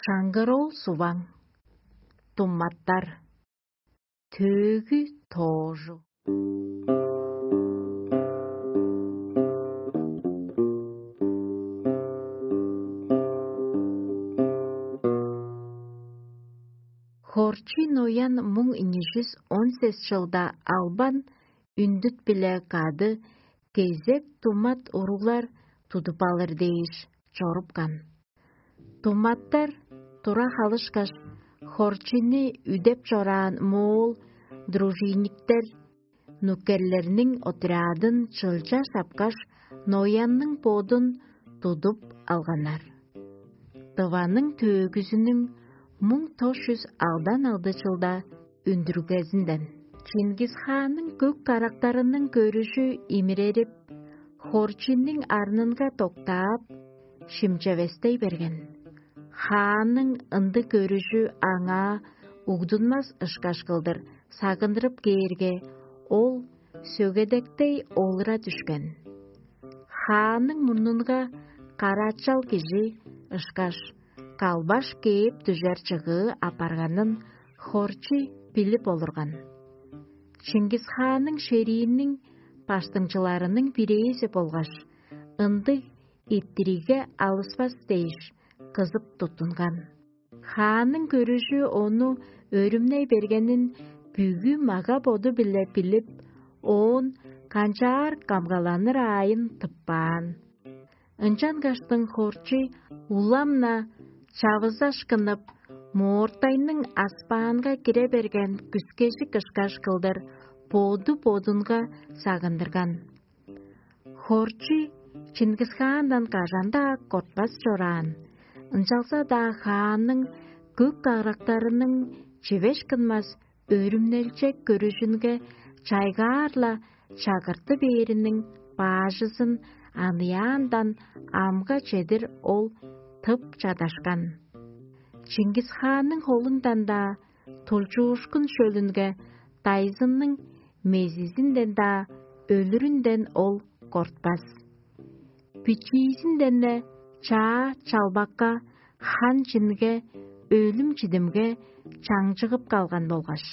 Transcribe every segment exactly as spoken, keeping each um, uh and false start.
Шаңгыр-оол Суваң. Думаттар. Төөгү тоожу. Хорчий Ноян муң ийи чүс он сес чылда албан үндүт-биле кады кезек думат уруглар тудуп алыр дээш чорупкан. Думаттар тура халышкаш, Хорчини үдеп чораан моол дружинниктер, нукерлерниң отрядын чылча шапкаш, Ноянның бодун тудуп алганнар. Тываның төөгүзүнүң муң тос чүс алдан алды чылда үндүргезинден. Чингис-хаанның көк карактарының көрүжү имирерип, Хорчинниң арнынга доктаап, шимчевестей берген. Хаанның ындыг көрүжү аңаа угдунмас ышкаш кылдыр сагындырып кээрге, ол сөгедектей олура дүшкен. Хаанның мурнунга карачал кижи ышкаш калбаш кээп дүжер чыгыы апарганын Хорчий билип олурган. Чингис-хаанның шерииниң баштыңчыларының бирээзи болгаш ындыг иттиригге алыспас дээш кызып туттунган. Хаанның көрүжү ону өрүмней бергенин бүгү мага-боду-биле билип, оон канчаар камгаланыр аайын тыппаан. Ынчангаштың Хорчий улам-на чавызашкынып, моортайның аспаанга кире берген күскежик ышкаш кылдыр боду-бодунга сагындырган. Хорчий Чингис-хаандан кажан-даа кортпас чораан, ынчалза-даа хаанның көк карактарының чивеш кынмас өрүмнелчек көрүжүнге чайгаар-ла чагырты бээриниң баажызын аныяандан амга чедир ол тып чадашкан. Чингис-хаанның холундан-даа тулчуушкун шөлүнге дайзынның мезизинден-даа өлүрүнден ол кортпас. Бичиизинден-не чаа чалбакка, хан чинге, өлүм-чидимге чаңчыгып калган болгаш,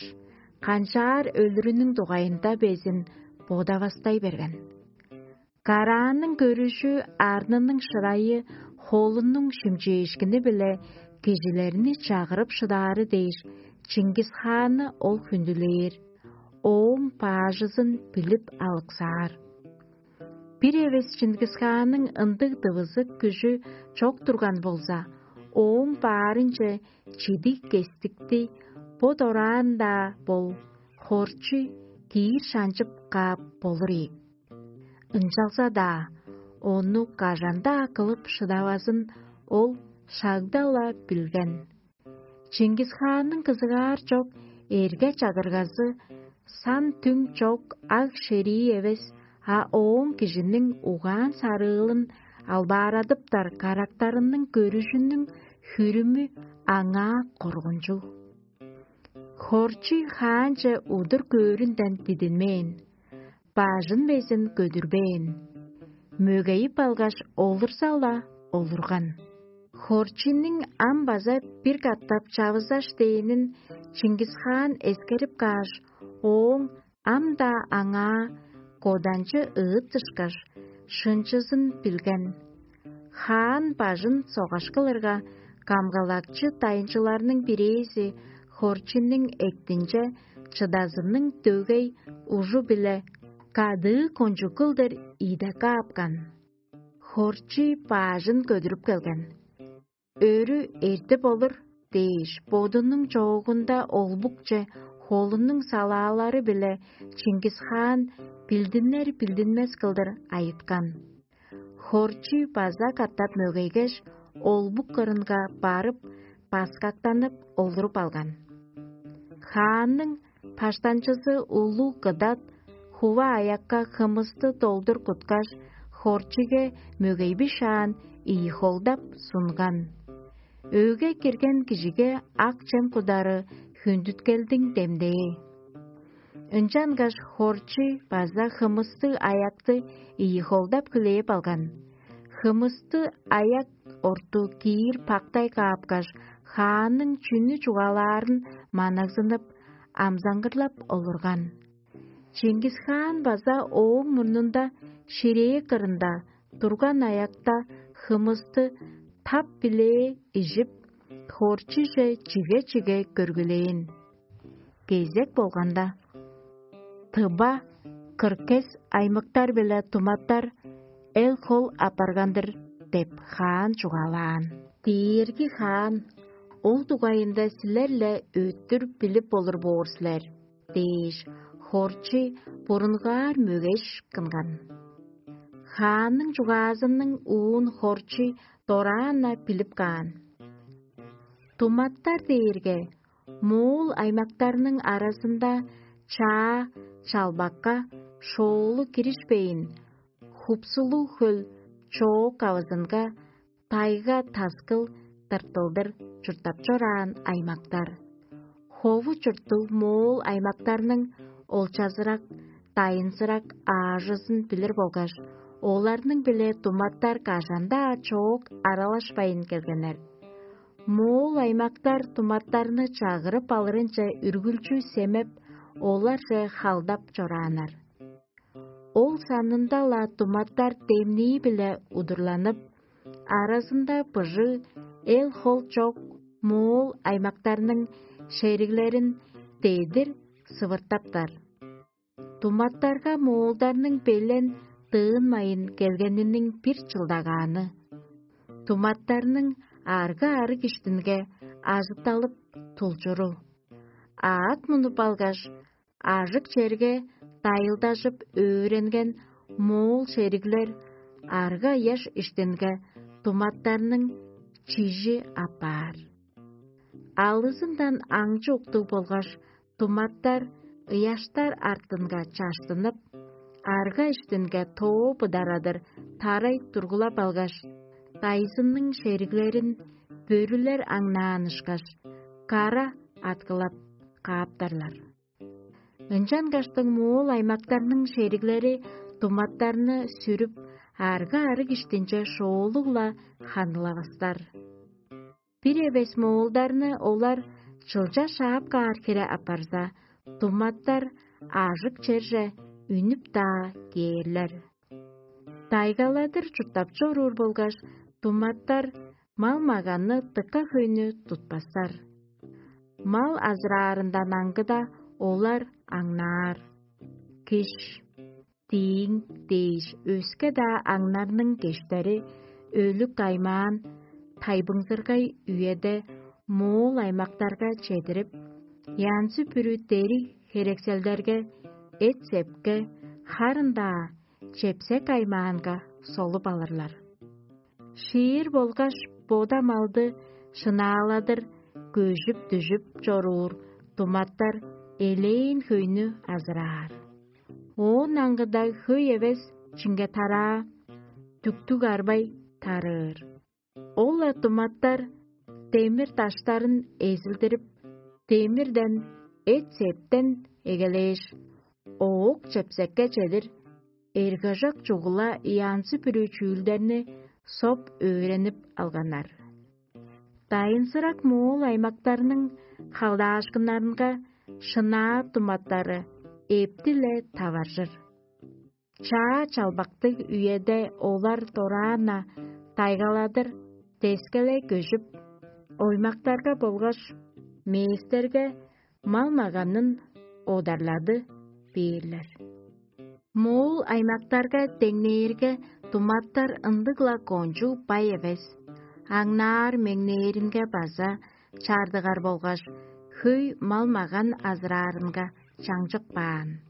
канчаар өлүрүнүң дугайында безин бодавастай берген. Караанның көрүжү, арнының шырайы, холунуң шимчээшкини-биле кижилерни чагырып шыдаары дээш, Чингис-хаанны ол хүндүлээр, ооң баажызын билип алыксаар. Бир эвес Чингис-хаанның ындыг дывызык күжү чок турган болза, ооң баарынче чидиг кестикти бо дораан-даа бол, Хорчу киир шанчып каап болур ийик. Ынчалза-даа ону кажан-даа кылып шыдавазын ол шагда-ла билген. Чингис-хаанның кызыгаар чок эрге-чагыргазы, сан-түң чок аг-шерии эвес, а ооң кижиниң угаан-сарыылын албаарадыптар карактарының көрүжүнүң хүрүмү аңаа коргунчуг. Хорчий хаанче удур көөрүнден дидинмээн, бажын безин көдүрбээн, мөгейип алгаш, олурза-ла олурган. Хорчийниң ам база бир катап чавызаш дээнин Чингис-хаан эскерип кааш, ооң ам-даа аңаа коданчы ыыттышкаш, шынчызын билген. Хаан бажын согаш кылырга, камгалакчы дайынчыларның бирээзи Хорчинниң эктинче чыдазының дөгей ужу-биле кадыы кончуг кылдыр ийде каапкан. Хорчий баажын көдүрүп келген. «Өрү эртип олур» дээш, бодунуң чоогунда олбукче холунуң салаалары-биле Чингис-хаан билдинер-билдинмес кылдыр айыткан. Хорчий база катап мөгейгеш, олбук кырынга барып, баскактанып олуруп алган. Хаанның баштанчызы улуг кыдат хува аякка хымысты долдур куткаш, Хорчиге мөгейби шаан ийи холдап сунган. Өөгге кирген кижиге ак чем кудары хүндүткелдиң демдээ. Ынчангаш Хорчи база хымыстыг аякты ийи холдап хүлээп алган. Хымысты аяк орту киир пактай каапкаш, хаанның чүнү чугаалаарын манагзынып, амзаңгырлап олурган. Чингис-хаан база ооң мурнунда ширээ кырында турган аякта хымысты тап-билээ ижип, хорчуже чиге-чиге көргүлээн. Кезек болганда, тыба, кыркес аймыктар-биле туматтар эл-хол апарган-дыр деп хаан чугаалаан. Дээрги хаан ол дугайында силер-ле өттүр билип болур боор силер дээш, хорчий бурунгаар мөгеш кынган. Хаанның чугаазының уун хорчий дораан-на билип каан. Туматтар дээрге моол аймактарның аразында чаа чалбакка шоолу киришпейн, хупсулуг хөл чоок авызынга тайга-таскыл тыртылдыр чурттап чораан аймактар. Хову чурттуг моол аймактарның олчазырак, дайынзырак аажызын билир болгаш, оларның-биле туматтар кажан-даа чоок аралашпайн келгеннер. Моол аймактар туматтарны чагырып алырынче үргүлчү семеп, оларже халдап чорааннар. Ол санында-ла туматтар демнии-биле удурланып, аразында быжыг эл-хол чок моол аймактарның шериглерин дедир сывыртаптар. Туматтарга моолдарның белен дыынмайын келгениниң бир чылдагааны. Туматтарның арга-арыг иштинге ажытталып тулчуру. Аът мунуп алгаш, ажык черге дайылдажып өөренген моол шериглер арга-ыяш иштинге туматтарның чижи апаар. Алызындан аңчы уктуг болгаш, туматтар ыяштар артынга чаштынып, арга иштинге тоо быдарадыр тарай тургулап алгаш, дайзынның шериглерин бөрүлер аңнаан ышкаш, кара аткылап кааптарлар. Ынчангаштың моол аймактарның шериглери туматтарны сүрүп, арга-арыг иштинче шоолуг-ла ханылавастар. Бир эвес моолдарны олар чылча шаап каар хире апарза, туматтар ажык черже үнүп-даа кээрлер. Дайгаладыр чурттап чоруур болгаш, туматтар мал-маганны дыка хөйнү тутпастар. Мал азыраарындан аңгыда олар аңнаар. Киш, дииң дээш өске-даа аңнарның кештери өлүк аймаан тайбыңзыргай үеде моол аймактарга чедирип, янзы-бүрү дериг херекселдерге, эт-сепке, харын-даа чепсек аймаанга солуп алырлар. Шиир болгаш бода малды шынааладыр көжүп-дүжүп чоруур туматтар элээн хөйнү азыраар. Оон аңгыда хөй эвес чиңге тараа, дүктүг арбай тарыыр. Ол-ла туматтар демир даштарын эзилдирип, демирден, эт-септен эгелээш, оок чепсекке чедир эргежок чугула янзы-бүрү чүүлдерни соп өөренип алганнар. Дайынзырак моол аймактарның халдаашкыннарынга шынаа туматтары эптиле таваржыр. Чаа чалбактыг үеде олар дораан-на дайгаладыр дескеле көжүп, оймактарга болгаш мээстерге мал-маганын одарлады бээрлер. Моол аймактарга деңнээрге, туматтар ындыг-ла кончуг бай эвес, аңнаар-меңнээринге база чаардыгар болгаш, хөй мал-маган азыраарынга чаңчык баан.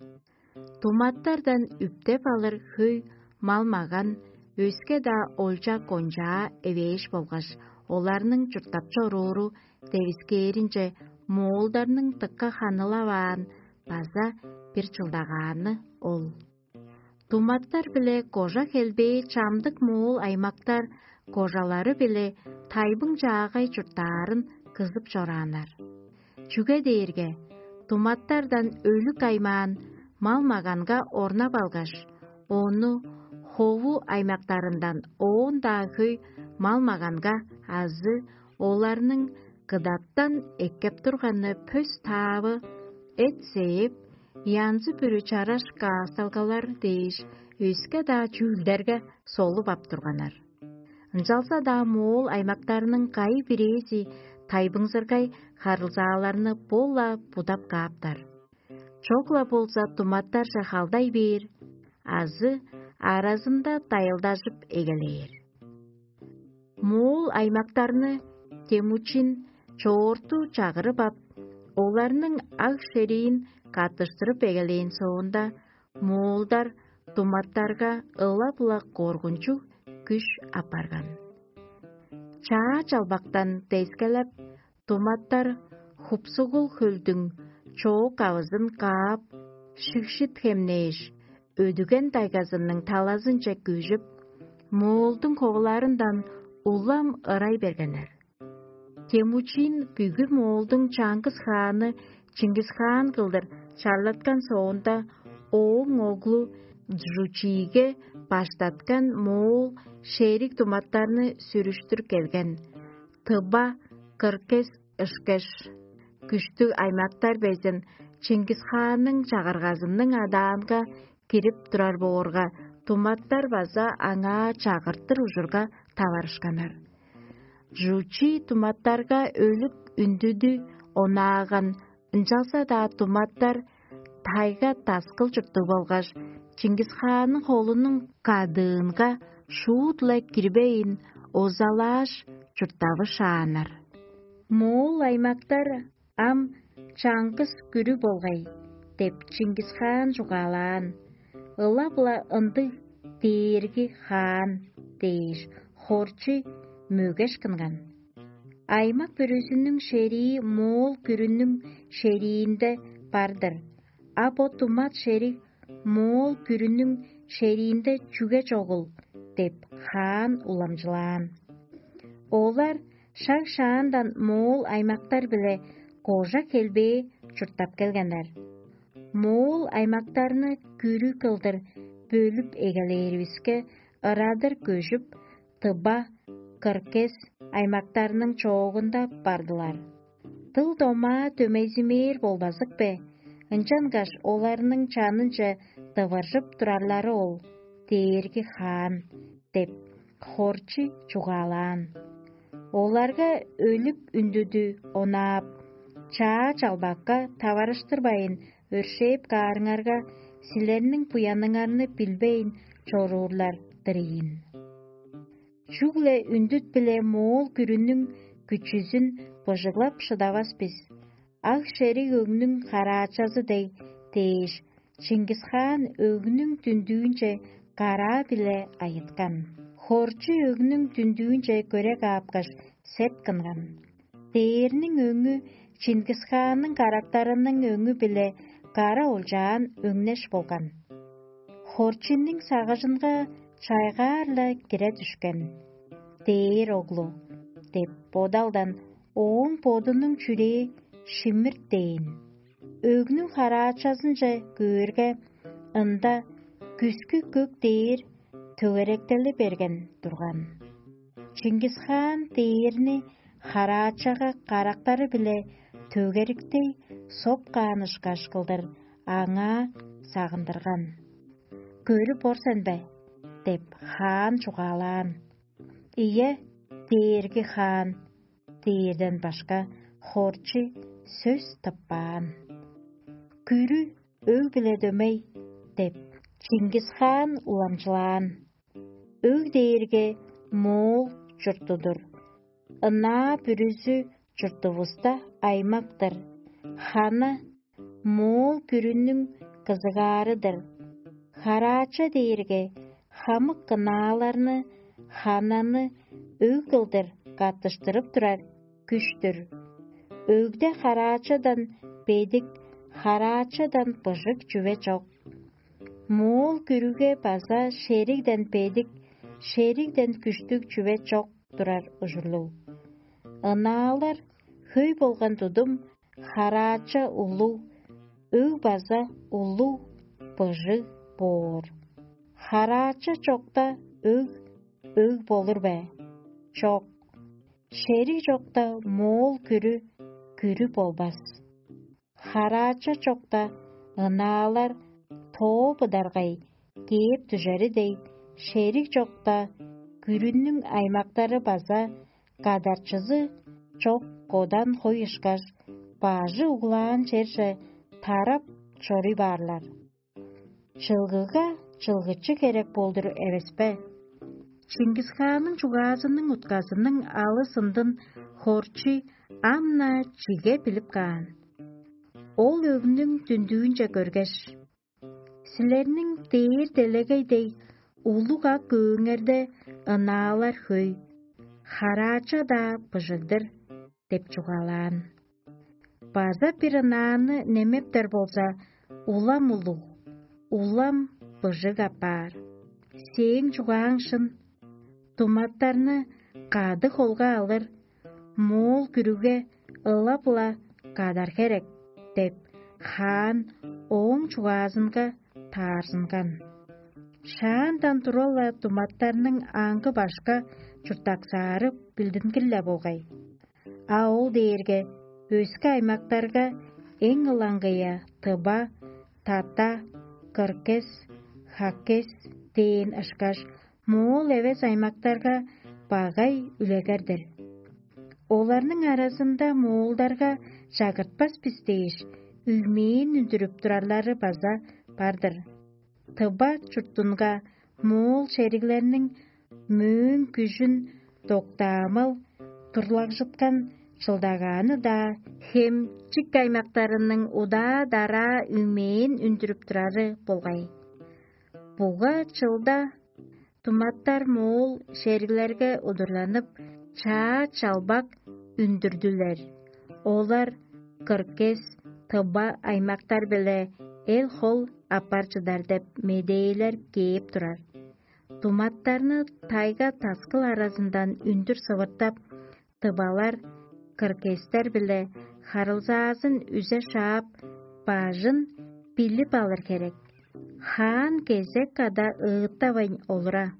Туматтардан үптеп алыр хөй мал-маган, өске-даа олча-кончаа эвээш болгаш, оларның чурттап чорууру девискээринче моолдарның дыка ханылаваан база бир чылдагааны ол. Туматтар биле кожа хелбээ чамдык моол аймактар кожалары биле тайбың чаагай чурттаарын кызып чорааннар. Чүге дээрге туматтардан өлүк аймаан мал-маганга орнап алгаш, ону Кову аймактарындан оон-даа хөй мал-маганга азы оларның кыдаттан эккеп турганы пөс-таавы, эт-сээп, янзы-бүрү чараш каасталгалар дээш өске-даа чүүлдерге солуп ап турганнар. Ынчалза-даа моол аймактарның кайы-бирээзи тайбыңзыргай харылзааларны бо-ла будап кааптар. Чок-ла болза туматтарже халдай бээр азы аразында дайылдажып эгелээр. Моол аймактарны Темучин чоорту чагырып ап, оларның аг-шериин каттыштырып эгелээн соонда, моолдар туматтарга ылап-ла коргунчуг күш апарган. Чаа чалбактан дескелеп, туматтар Хупсугул хөлдүң чоок авызын каап, шигшит хемнээш, өдүген дайгазының талазынче көжүп, моолдуң ховуларындан улам ырай бергеннер. Темучин бүгү моолдуң чаңгыс хааны Чингисхаан кылдыр чарлаткан соонда, ооң оглу Джучиге баштаткан моол шериг туматтарны сүрүштүр келген. Тыба, Кыркес ышкаш, күштүг аймактар безин Чингисхаанның чагыргазының адаанга кирип турар боорга, туматтар база аңаа чагыртыр ужурга таварышканнар. Жучи туматтарга өлүк үндүдү онааган, ынчалза-даа туматтар тайга таскыл чурттуг болгаш, Чингисхаанның холунуң кадыынга шуут-ла кирбейн, озалааш, чурттавы шааннар. Моол аймактар ам чаңгыс күрү болгай деп Чингисхаан чугаалаан. Ылап-ла ындыг дээрги хаан дээш, хорчу мөгеш кынган. Аймак бүрүзүнүң шерии моол күрүнүң шериинде бар-дыр. А бо тумат шериг моол күрүнүң шериинде чүге чогул деп хаан уламчылаан. Олар шаг-шаандан моол аймактар-биле кожа хелбээ чурттап келгеннер. Моол аймактарны күрү кылдыр бөлүп эгелээривиске, ырадыр көжүп, Тыба, Кыргес аймактарының чоогунда бардылар. Дыл-домаа дөмейзимээр болбазык бе? Ынчангаш оларның чанынче дывыржып турарлары ол дээрги хаан деп, хорчу чугаалаан. Оларга өлүп үндүдү онаап, чаа чалбакка таварыштырбайн өршээп каарыңарга, силерниң буяныңарны билбейн чоруурлар-дыр ийин. Чүгле үндүт-биле моол күрүнүң күчүзүн быжыглап шыдавас бис. Ак шериг өгнүң караачазы дег дээш, Чингисхаан өгнүң дүндүүнче караа-биле айыткан. Хорчу өгнүң дүндүүнче көре каапкаш, сет кынган. Дээрниң өңү Чингисхаанның карактарының өңү-биле кара олчаан өңнеш болган. Хорчинниң сагыжынга чайгаар-ла кире дүшкен. Дээр оглу деп бодалдан ооң бодунуң чүрээ шимирт дээн. Өгнүң хараачазынче көөрге, ында күскү көк дээр төгеректели берген турган. Чингисхаан дээрни хараачага карактары-биле төгериктей соп каан ышкаш кылдыр аңаа сагындырган. «Көрүп ор сен бе?» – деп, хаан чугаалаан. «Ийе, дээрги хаан» – дээрден башка, хорчу сөс тыппаан. «Күрү өг-биле дөмей» – деп, Чингисхаан уламчылаан. Өг дээрге моол чурту-дур. Ынаа бүрүзү чуртувуста аймак-тыр. Хана моол күрүнүң кызыгаары-дыр. Хараача дээрге хамык кынааларны, хананы өг кылдыр каттыштырып турар күш-түр. Өгде хараачадан бедик, хараачадан быжыг чүве чок. Моол күрүге база шеригден бедик, шеригден күштүг чүве чок турар ужурлуг. Ынаалар хөй болган тудум, хараача улуг, өг база улуг, быжыг боор. Хараача чокта өг өг болур бе? Чок. Шериг чокта моол күрү күрү болбас. Хараача чокта ынаалар тоо быдаргай кээп дүжери дег, шериг чокта күрүнүң аймактары база кадарчызы чок кодан хой ышкаш, бажы углаан черже тарап чоруй баарлар. Чылгыга чылгычы херек болдур эвеспе? Чингисханның чугаазының утказының алыс ындын Хорчий ам-на чиге билип каан. Ол өгнүң дүндүүнче көргеш: «Силерниң дээр делегей дег улуг ак көөңерде ынаалар хөй, хараача-даа быжыг-дыр» – деп чугаалаан. База бир ынааны немептер болза, улам улуг, улам быжыг апаар. Сээң чугааң шын. Туматтарны кады холга алыр, моол күрүге ылап-ла кадар херек деп, хаан ооң чугаазынга таарзынган. Шаандан тура-ла туматтарның аңгы башка чурттаксаары билдингир-ле болгай. А ол дээрге өске аймактарга эң ылаңгыя тыба, тата, кыркес, хаккес дээн ышкаш, моол эвес аймактарга багай үлегер-дир. Оларның аразында моолдарга чагыртпас бис дээш, үймээн үндүрүп турарлары база бар-дыр. Тыва чуртунга моол шериглерниң мөөң күжүн доктаамал турлагжыткан чылдагааны-даа хемчик аймактарының удаа-дараа үймээн үндүрүп турары болгай. Буга чылда туматтар моол шериглерге удурланып, чаа чалбак үндүрдүлер. Олар кыргес, тыба аймактар-биле эл-хол аппар чыдар деп медээлер кээп турар. Туматтарны тайга-таскыл аразындан үндүр сывыртап, тывалар кыргестер-биле харылзаазын үзе шаап, бажын билип алыр херек. Хаан кезек када ыыттавайн олура.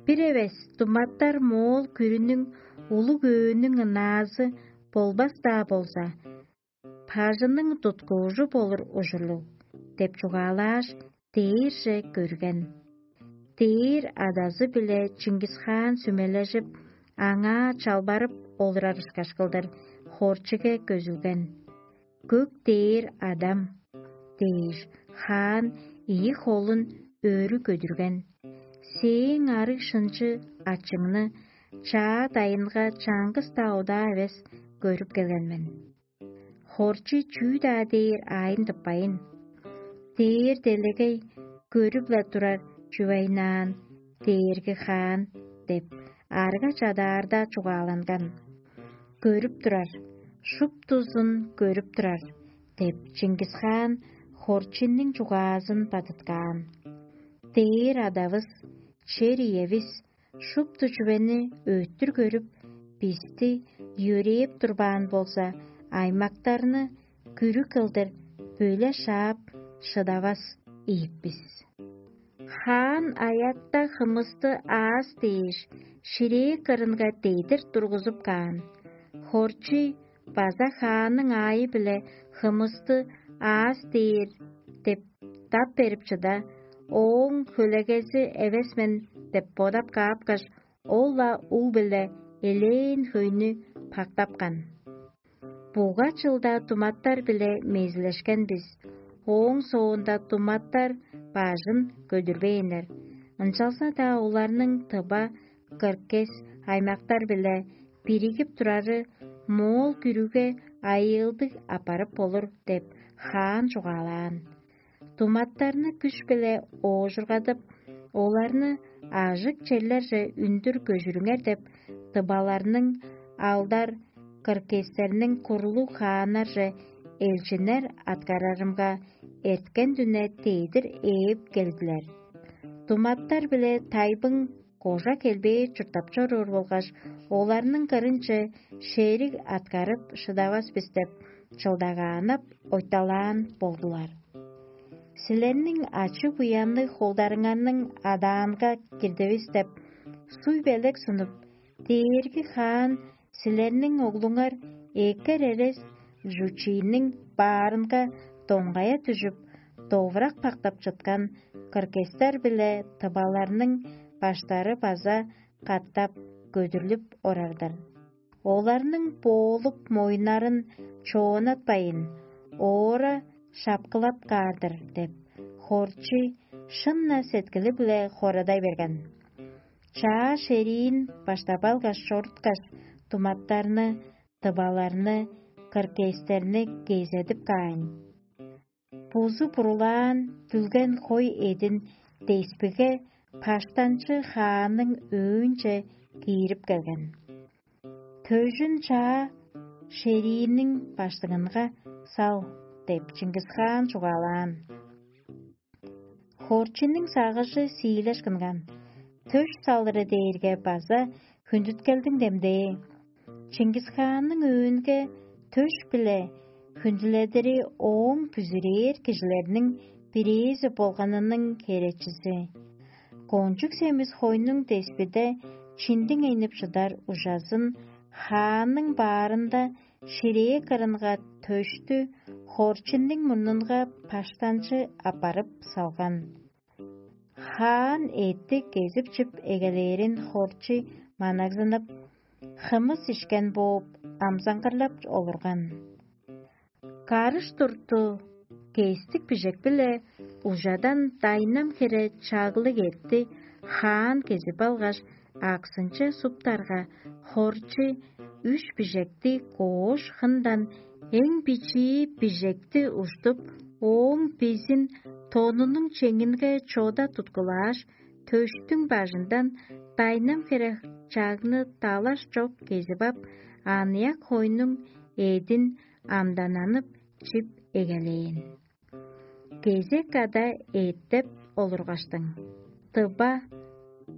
Бир эвес туматтар моол күрүнүң улуг өөнүң ынаазы болбас-даа болза, бажының туткуужу болур ужурлуг деп чугаалааш, дээрже көрген. Дээр адазы-биле Чингис-хаан сүмележип, аңаа чалбарып олурар ышкаш кылдыр, хорчуге көзүлген. «Көк дээр Адам» – дээш, хаан ийи холун өрү көдүрген. «Сээң арыг шынчы ачыңны чаа дайынга чаңгыс-даа удаа эвес көрүп келген мен. Хорчу чүү-даа дээр аайын тыппайн: „Дээр делегей көрүп-ла турар чүвейнаан, дээрги хаан“ – деп, арга чадаарда чугааланган. «Көрүп турар, шуптузун көрүп турар» – деп, Чингис-хаан хорчунуң чугаазын бадыткаан. Дээр адавыс, чер иевис шупту чүвени өттүр көрүп, бисти йөрээп турбаан болза, аймактарны күрү кылдыр бөле шаап шыдавас ийик бис. Хаан аятта хымысты аас дээш, ширээ кырынга дедир тургузуп каан. Хорчий база хаанның аайы-биле хымысты аас дээр деп дап берип чыда, ооң хөлегези эвес мен деп бодап каапкаш, ол-ла уг-биле элээн хөйнү пактапкан. Буга чылда туматтар-биле мезилешкен бис, ооң соонда туматтар бажын көдүрбээннер. Ынчалза-даа оларның тыба, кыргес аймактар-биле биригип турары моол күрүге айыылдыг апарып болур деп, хаан чугаалаан. Туматтарны күш-биле оожургадып, оларны ажык черлерже үндүр көжүрүңер деп, тыбаларның алдар, кыргестерниң курлуг хааннарже элчиннер аткарарымга, эрткен дүне дедир ээп келдилер. Туматтар-биле тайбың кожа келбээ чурттап чоруур болгаш, оларның кырынче шериг аткарып шыдавас бис деп, чылдагааннап ойталаан болдулар. силерниң ачы-буянныг холдарыңарның адаанга кирдивис деп, суй-белек сунуп, дээрги хаан силерниң оглуңар экер эрес жучийниң баарынга доңгая дүжүп, довурак пактап чыткан кыргестер биле тываларның баштары база катап көдүрлүп орар-дыр. Оларның боолуп моюннарын чоонатпайн, оора шапкылап каар-дыр деп, хорчу шын-на сеткили-биле хорадай берген. Чаа шериин баштап алгаш чоруткаш, думаттарны, дываларны, кыргестерни кезедип каайн. Бузу бурулаан, дүлген хой эдин деспиге паштанчы хааның өөнче киирип келген. Төжүн чаа шерииниң баштыңынга сал деп, Чингис хаан чугаалаан. Хорчуннуң сагыжы сиилешкинган, төш салыры дээрге база хүндүткелдиң демдээ. Чингис хаанның өөнге төш-биле хүндүледири ооң бүзүрээр кижилерниң бирээзи болганының херечизи. Кончуг семис хойнуң деспиде чиндиң энип шыдар ужазын хаанның баарында ширээ кырынга төштү хорчуннуң мурнунга паштанчы аппарып салган. Хаан эътти кезип-чип эгелээрин хорчу манагзынып, хымыс ишкен бооп, амзаңгырлап олурган. Карыш турту кестик бижек-биле ужадан дайнам хире чаглыг эътти хаан кезип алгаш, аксынче суптарга, хорчу үш бижекти коош хындан эң бичии бижекти уштуп, ооң безин тонунуң чеңинге чода туткулааш, төштүң бажындан дайнам хире чагны далаш чок кезип ап, аныяк хойнуң эъдин амдананып чип эгелээн. Кезек ада эъттеп олургаштың, тыба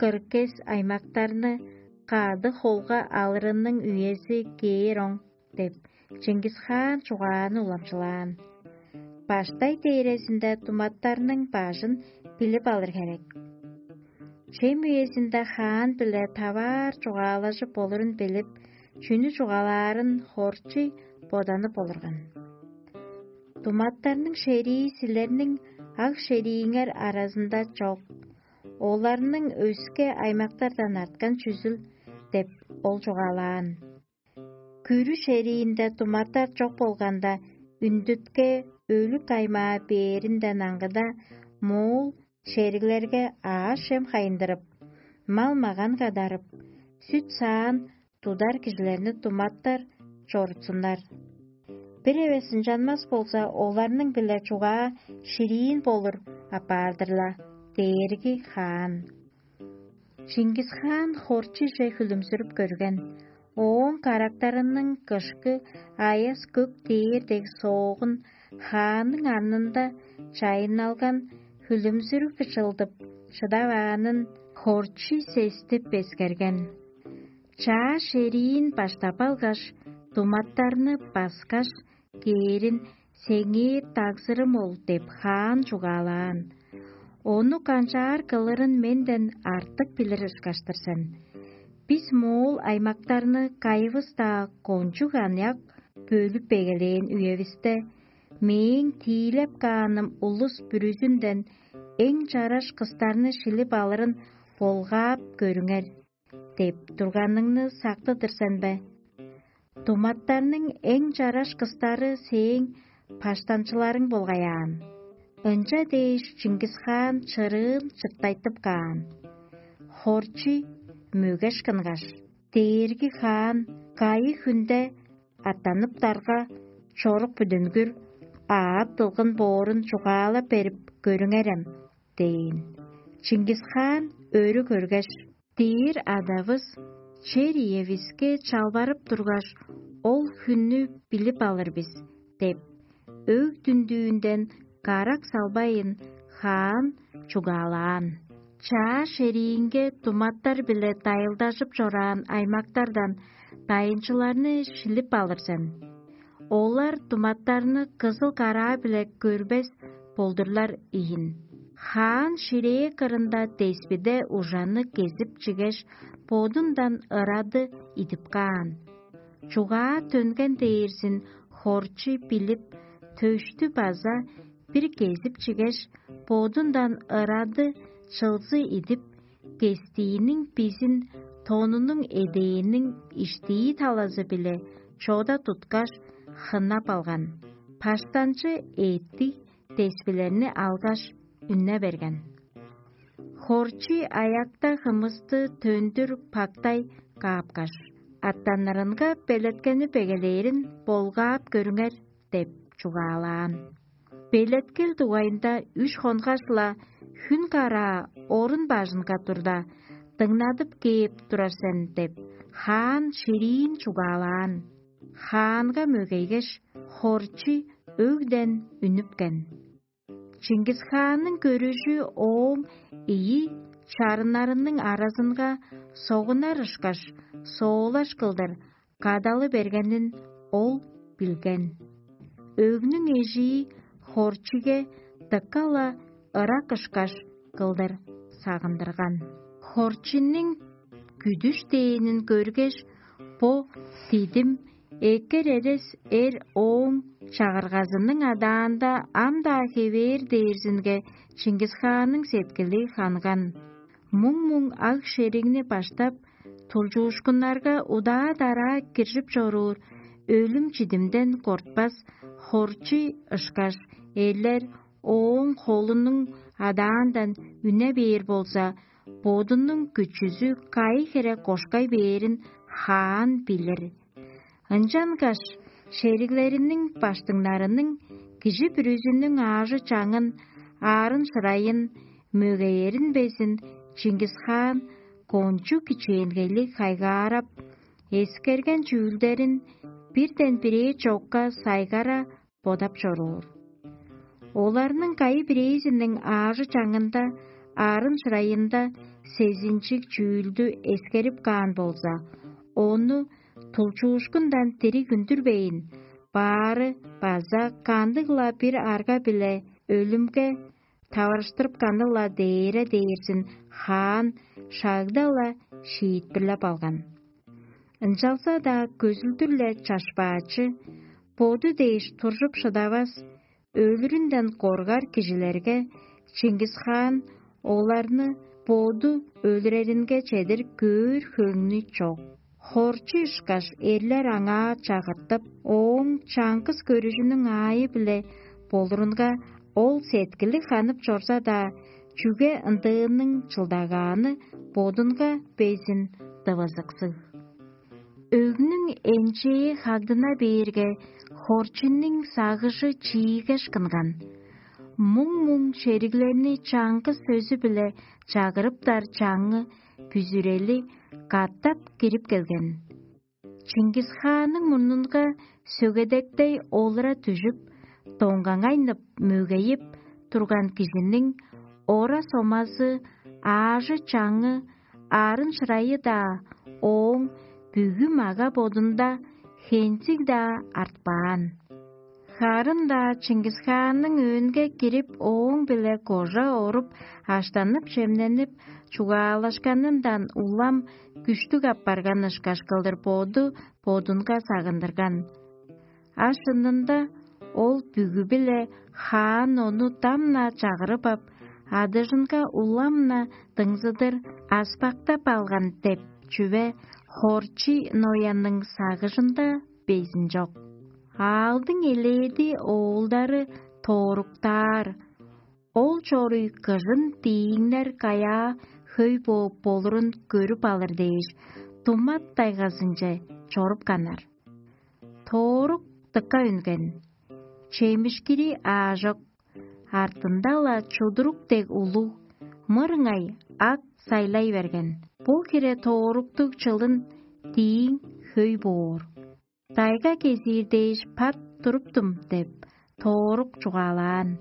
кыргес аймактарны кады холга алырының үези кээр оң деп, Чингис хаан чугааны уламчылаан. Баштай дээрезинде думаттарның бажын билип алыр херек. Чем үезинде хаан биле таваар чугаалажып болурун билип, чүнү чугаалаарын хорчуй боданып олурган. Думаттарның шерии силерниң аг шерииңер аразында чок, оларның өске аймактардан арткан чүзүл деп ол чугаалаан. Күрү шериинде думаттар чок болганда, үндүтке өлүк аймаа бээринден аңгыда, моол шериглерге аъш-чем хайындырып, мал-маган кадарып, сүт-саан тудар кижилерни думаттар чорутсуннар. Бир эвес ынчанмас болза, оларның-биле чугаа шириин болур апаар-дыр-ла, дээрги хаан. Чингис хаан хорчуже хүлүмзүрүп көрген. Ооң карактарының кышкы аяс көк дээр дег соогун хаанның арнында чайынналган хүлүмзүрүг чылдып шыдаваанын хорчу сестип эскерген. Чаа шериин баштап алгаш, думаттарны баскаш, кээрин сеңээ дагзырым ол деп хаан чугаалаан. Ону канчаар кылырын менден артык билир ышкаш-тыр сен. Бис моол аймактарны кайывыс-даа кончуг аныяк бөлүп эгелээн үевисте, мээң тиилеп кааным улус бүрүзүнден эң чараш кыстарны шилип алырын болгаап көрүңер деп турганыңны сактыдыр сен бе? Думаттарның эң чараш кыстары сээң паштанчыларың болгаяан. Ынча дээш Чыңгыс хаан чырыын чыртайтып каан. Хорчу мөгеш кынгаш: «Дээрги хаан кайы хүнде аттаныптарга чорук бүдүнгүр аът дылгын боорун чугаалап берип көрүңерем» – дээн. Чыңгыс хаан өрү көргеш: «Дээр адавыс чер иевиске чалбарып тургаш, ол хүннү билип алыр бис» – деп, өг-дүндүүнден карак салбайын, хаан чугаалаан. Чаа шериинге думаттар-биле дайылдажып чораан аймактардан дайынчыларны шилип алыр сен. Олар думаттарны кызыл караа-биле көрбес болдурлар ийин. Хаан ширээ кырында деспиде ужаны кезип чигеш, бодундан ырады идип каан. Чугаа төнген дээрзин хорчу билип, төштү база бир кезип чигеш, бодундан ырады чылзы идип, кестииниң бизин тонунуң эдээнниң иштии талазы-биле чода туткаш, хыннап алган. Паштанчы эъттиг деспилерни алгаш, үнне берген. Хорчий аякта хымысты төндүр пактай каапкаш: «Аттанырынга белеткени бегелээрин болгаап көрүңер» – деп чугаалаан. Белеткел дугайында үш хонгаш-ла хүн караа орун бажынга турда, дыңнадып кээп турар сен деп, хаан шириин чугаалаан. Хаанга мөгейгеш, хорчий өгден үнүпкен. Чингис-хаанның көрүжү ооң ийи чарыннарының аразынга согунар ышкаш, соолаш кылдыр кадалы бергенин ол билген. Өгнүң эжии хорчиге дыка-ла ырак ышкаш кылдыр сагындырган. Хорчинниң күдүш дээнин көргеш, бо дидим эккер эрес эр ооң чагыргазының адаанда ам-даа хевээр дээрзинге Чингис-хаанның сеткили ханган. Муң-муң аг-шеригни баштап, тулчуушкуннарга удаа-дараа киржип чоруур өлүм-чидимден кортпас хорчий ышкаш эрлер ооң холунуң адаандан үне бээр болза, бодунуң күчүзү кайы хире кошкай бээрин хаан билир. Ынчангаш шериглериниң баштыңнарының, кижи бүрүзүнүң аажы-чаңын, аарын-шырайын, мөгеерин безин Чингис-хаан кончуг кичээнгейлиг хайгаарап, эскерген чүүлдерин бирден-бирээ чокка сайгара бодап чоруур. Оларның кайы-бирээзиниң аажы-чаңында, аарын-шырайында сезинчиг чүүлдү эскерип каан болза, ону тулчуушкундан дириг үндүрбейн, баары база кандыг-ла бир арга-биле өлүмге таварыштырыпканы-ла дээре дээрзин хаан шагда-ла шиитпирлеп алган. Ынчалза-даа көзүлдүр-ле чашпаачы, боду дээш туржуп шыдавас, өлүрүнден коргар кижилерге Чингис-хаан оларны боду өлүреринге чедир көөр хөңнү чок. Хорчу ышкаш эрлер аңаа чагыртып, ооң чаңгыс көрүжүнүң аайы-биле болурунга, ол сеткили ханып чорза-даа, чүге ындыының чылдагааны бодунга безин дывызыксыг. Өгнүң энчээ хагдына бээрге, хорчуннуң сагыжы чиигеш кынган. Муң-муң шериглерни чаңгыс сөзү-биле чагырыптар чаңы бүзүрели катап кирип келген. Чингис-хаанның мурнунга сөгедектей олура дүжүп, доңгаңайнып, мөгейип турган кижиниң ора-сомазы, аажы-чаңы, аарын-шырайы-даа ооң бүгү мага-бодунда хензиг-даа артпаан. Харын-даа Чингис-хаанның өөнге кирип, ооң-биле кожа оруп, аштанып-чемненип, чугаалашканындан улам күштүг апарган ышкаш кылдыр боду бодунга сагындырган. А шынында ол бүгү-биле хаан ону дам-на чагырып ап, адыжынга улам-на дыңзыдыр аспактап алган деп чүве хорчий ноянның сагыжында безин чок. Аалдың элээди оолдары тооруктаар, ол чоруй кыжын дииңнер каяа хөй бооп болурун көрүп алыр дээш, тумат тайгазынче чорупканнар. Тоорук дыка үнген, чемишкири аажок, артында-ла чудурук дег улуг, мырыңай ак сайлай берген. Бу хире тооруктуг чылын дииң хөй боор. Дайга кезиир дээш пат туруптум деп, тоорук чугаалаан.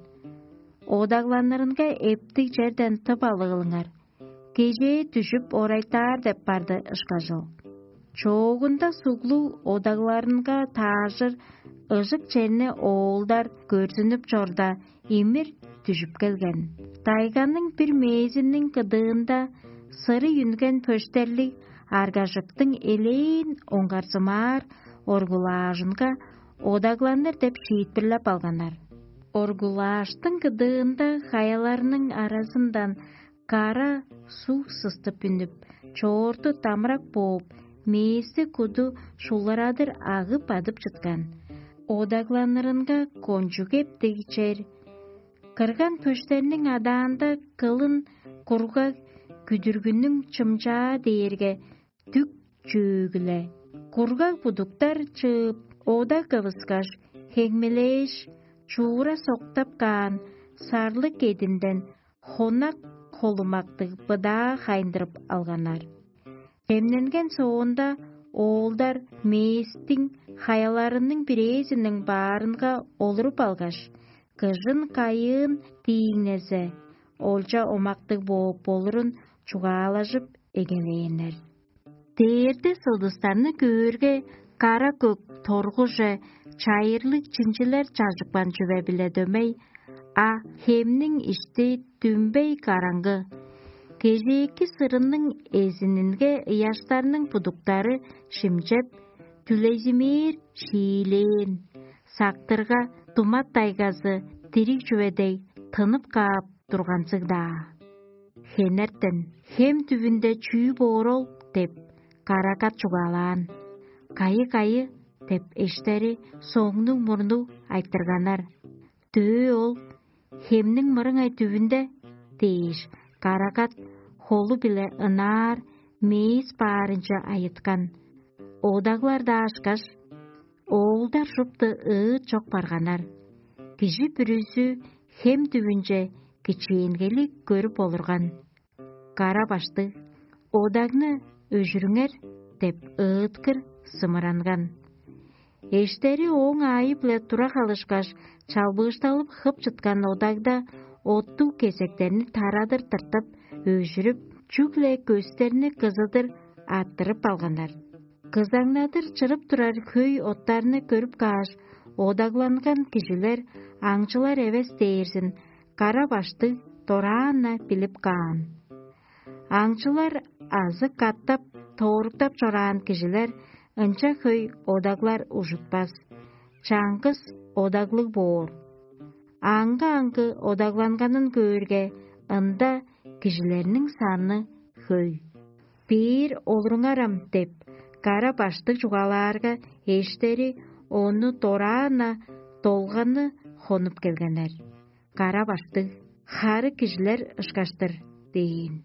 Одагланырынга эптиг черден тып алыылыңар. Кежээ дүжүп орайтаар деп барды ышкажыл. Чоогунда суглуг одагларынга таажыр ыжык черни оолдар көрзүнүп чорда, имир дүжүп келген. Тайганың бир мээзиниң кыдыында сырый үнген пөштерлиг аргажыктың элээн оңгарзымаар оргулаажынга одагланыр деп шиитпирлеп алганнар. Оргулааштың кыдыында хаяларның аразындан кара суг сыстып үнүп, чоорту дамырак бооп, мээсти куду шуларадыр агып адып чыткан. Одагланырынга кончуг эптиг чер. Кырган пөштерниң адаанда кылын кургаг күдүргүнүң чымчаа дээрге дүк чөөгүле. Кургаг будуктар чыып, ода кывыскаш, хеңмелээш, чуура соктап каан сарлыг кединден хонак холумактыг быдаа хайындырып алганнар. Хемненген соонда оолдар мээстиң хаяларының бирээзиниң баарынга олуруп алгаш, кыжын кайыын дииңнезе, олча омактыг бооп болурун чугаалажып эгелээннер. Дээрде сылдыстарны көөрге, кара көк торгуже чайырлыг чинчилер чажыпкан чүве-биле дөмей, а хемниң ишти дүмбей караңгы. Кежээки сырынның эзининге ыяштарның будуктары шимчеп, дүлейзимээр шиилээн, сактырга думат дайгазы дириг чүве дег тынып каап турганзыг-даа. Хенертен: «Хем түбүнде чүү боор ол?» – деп, карагат чугаалаан. «Кайы-кайы?» – деп, эштери соңнуг-мурнуг айтырганнар. «Дөө ол хемниң мырыңай түбүнде» – дээш, карагат холу-биле ынаар мээс баарынче айыткан. Одаглар-даа ышкаш, оолдар шупту ыыт чок барганнар. Кижи бүрүзү хем түбүнче кичээнгейлиг көрүп олурган. Кара баштыг: «Одагны өжүрүңер» – деп ыыткыр сымыранган. Эштери ооң аайы-биле тура халышкаш, чалбыышталып хып чыткан одагда оттуг кезектерни тарадыр тыртып, өжүрүп, чүгле көстерни кызыдыр арттырып алганнар. Кызаңнадыр чырып турар хөй оттарны көрүп кааш, одагланган кижилер аңчылар эвес дээрзин кара баштыг дораан-на билип каан. Аңчылар азы катап тооруктап чораан кижилер ынча хөй одаглар ужутпас, чаңгыс одаглыг боор. Аңгы-аңгы одагланганын көөрге, ында кижилерниң саны хөй. «Бээр олуруңар ам» – деп, кара баштыг чугаалаарга, эштери ону дораан-на долганы хонуп келгеннер. Кара баштыг: «Хары кижилер ышкаш-тыр» – дээн.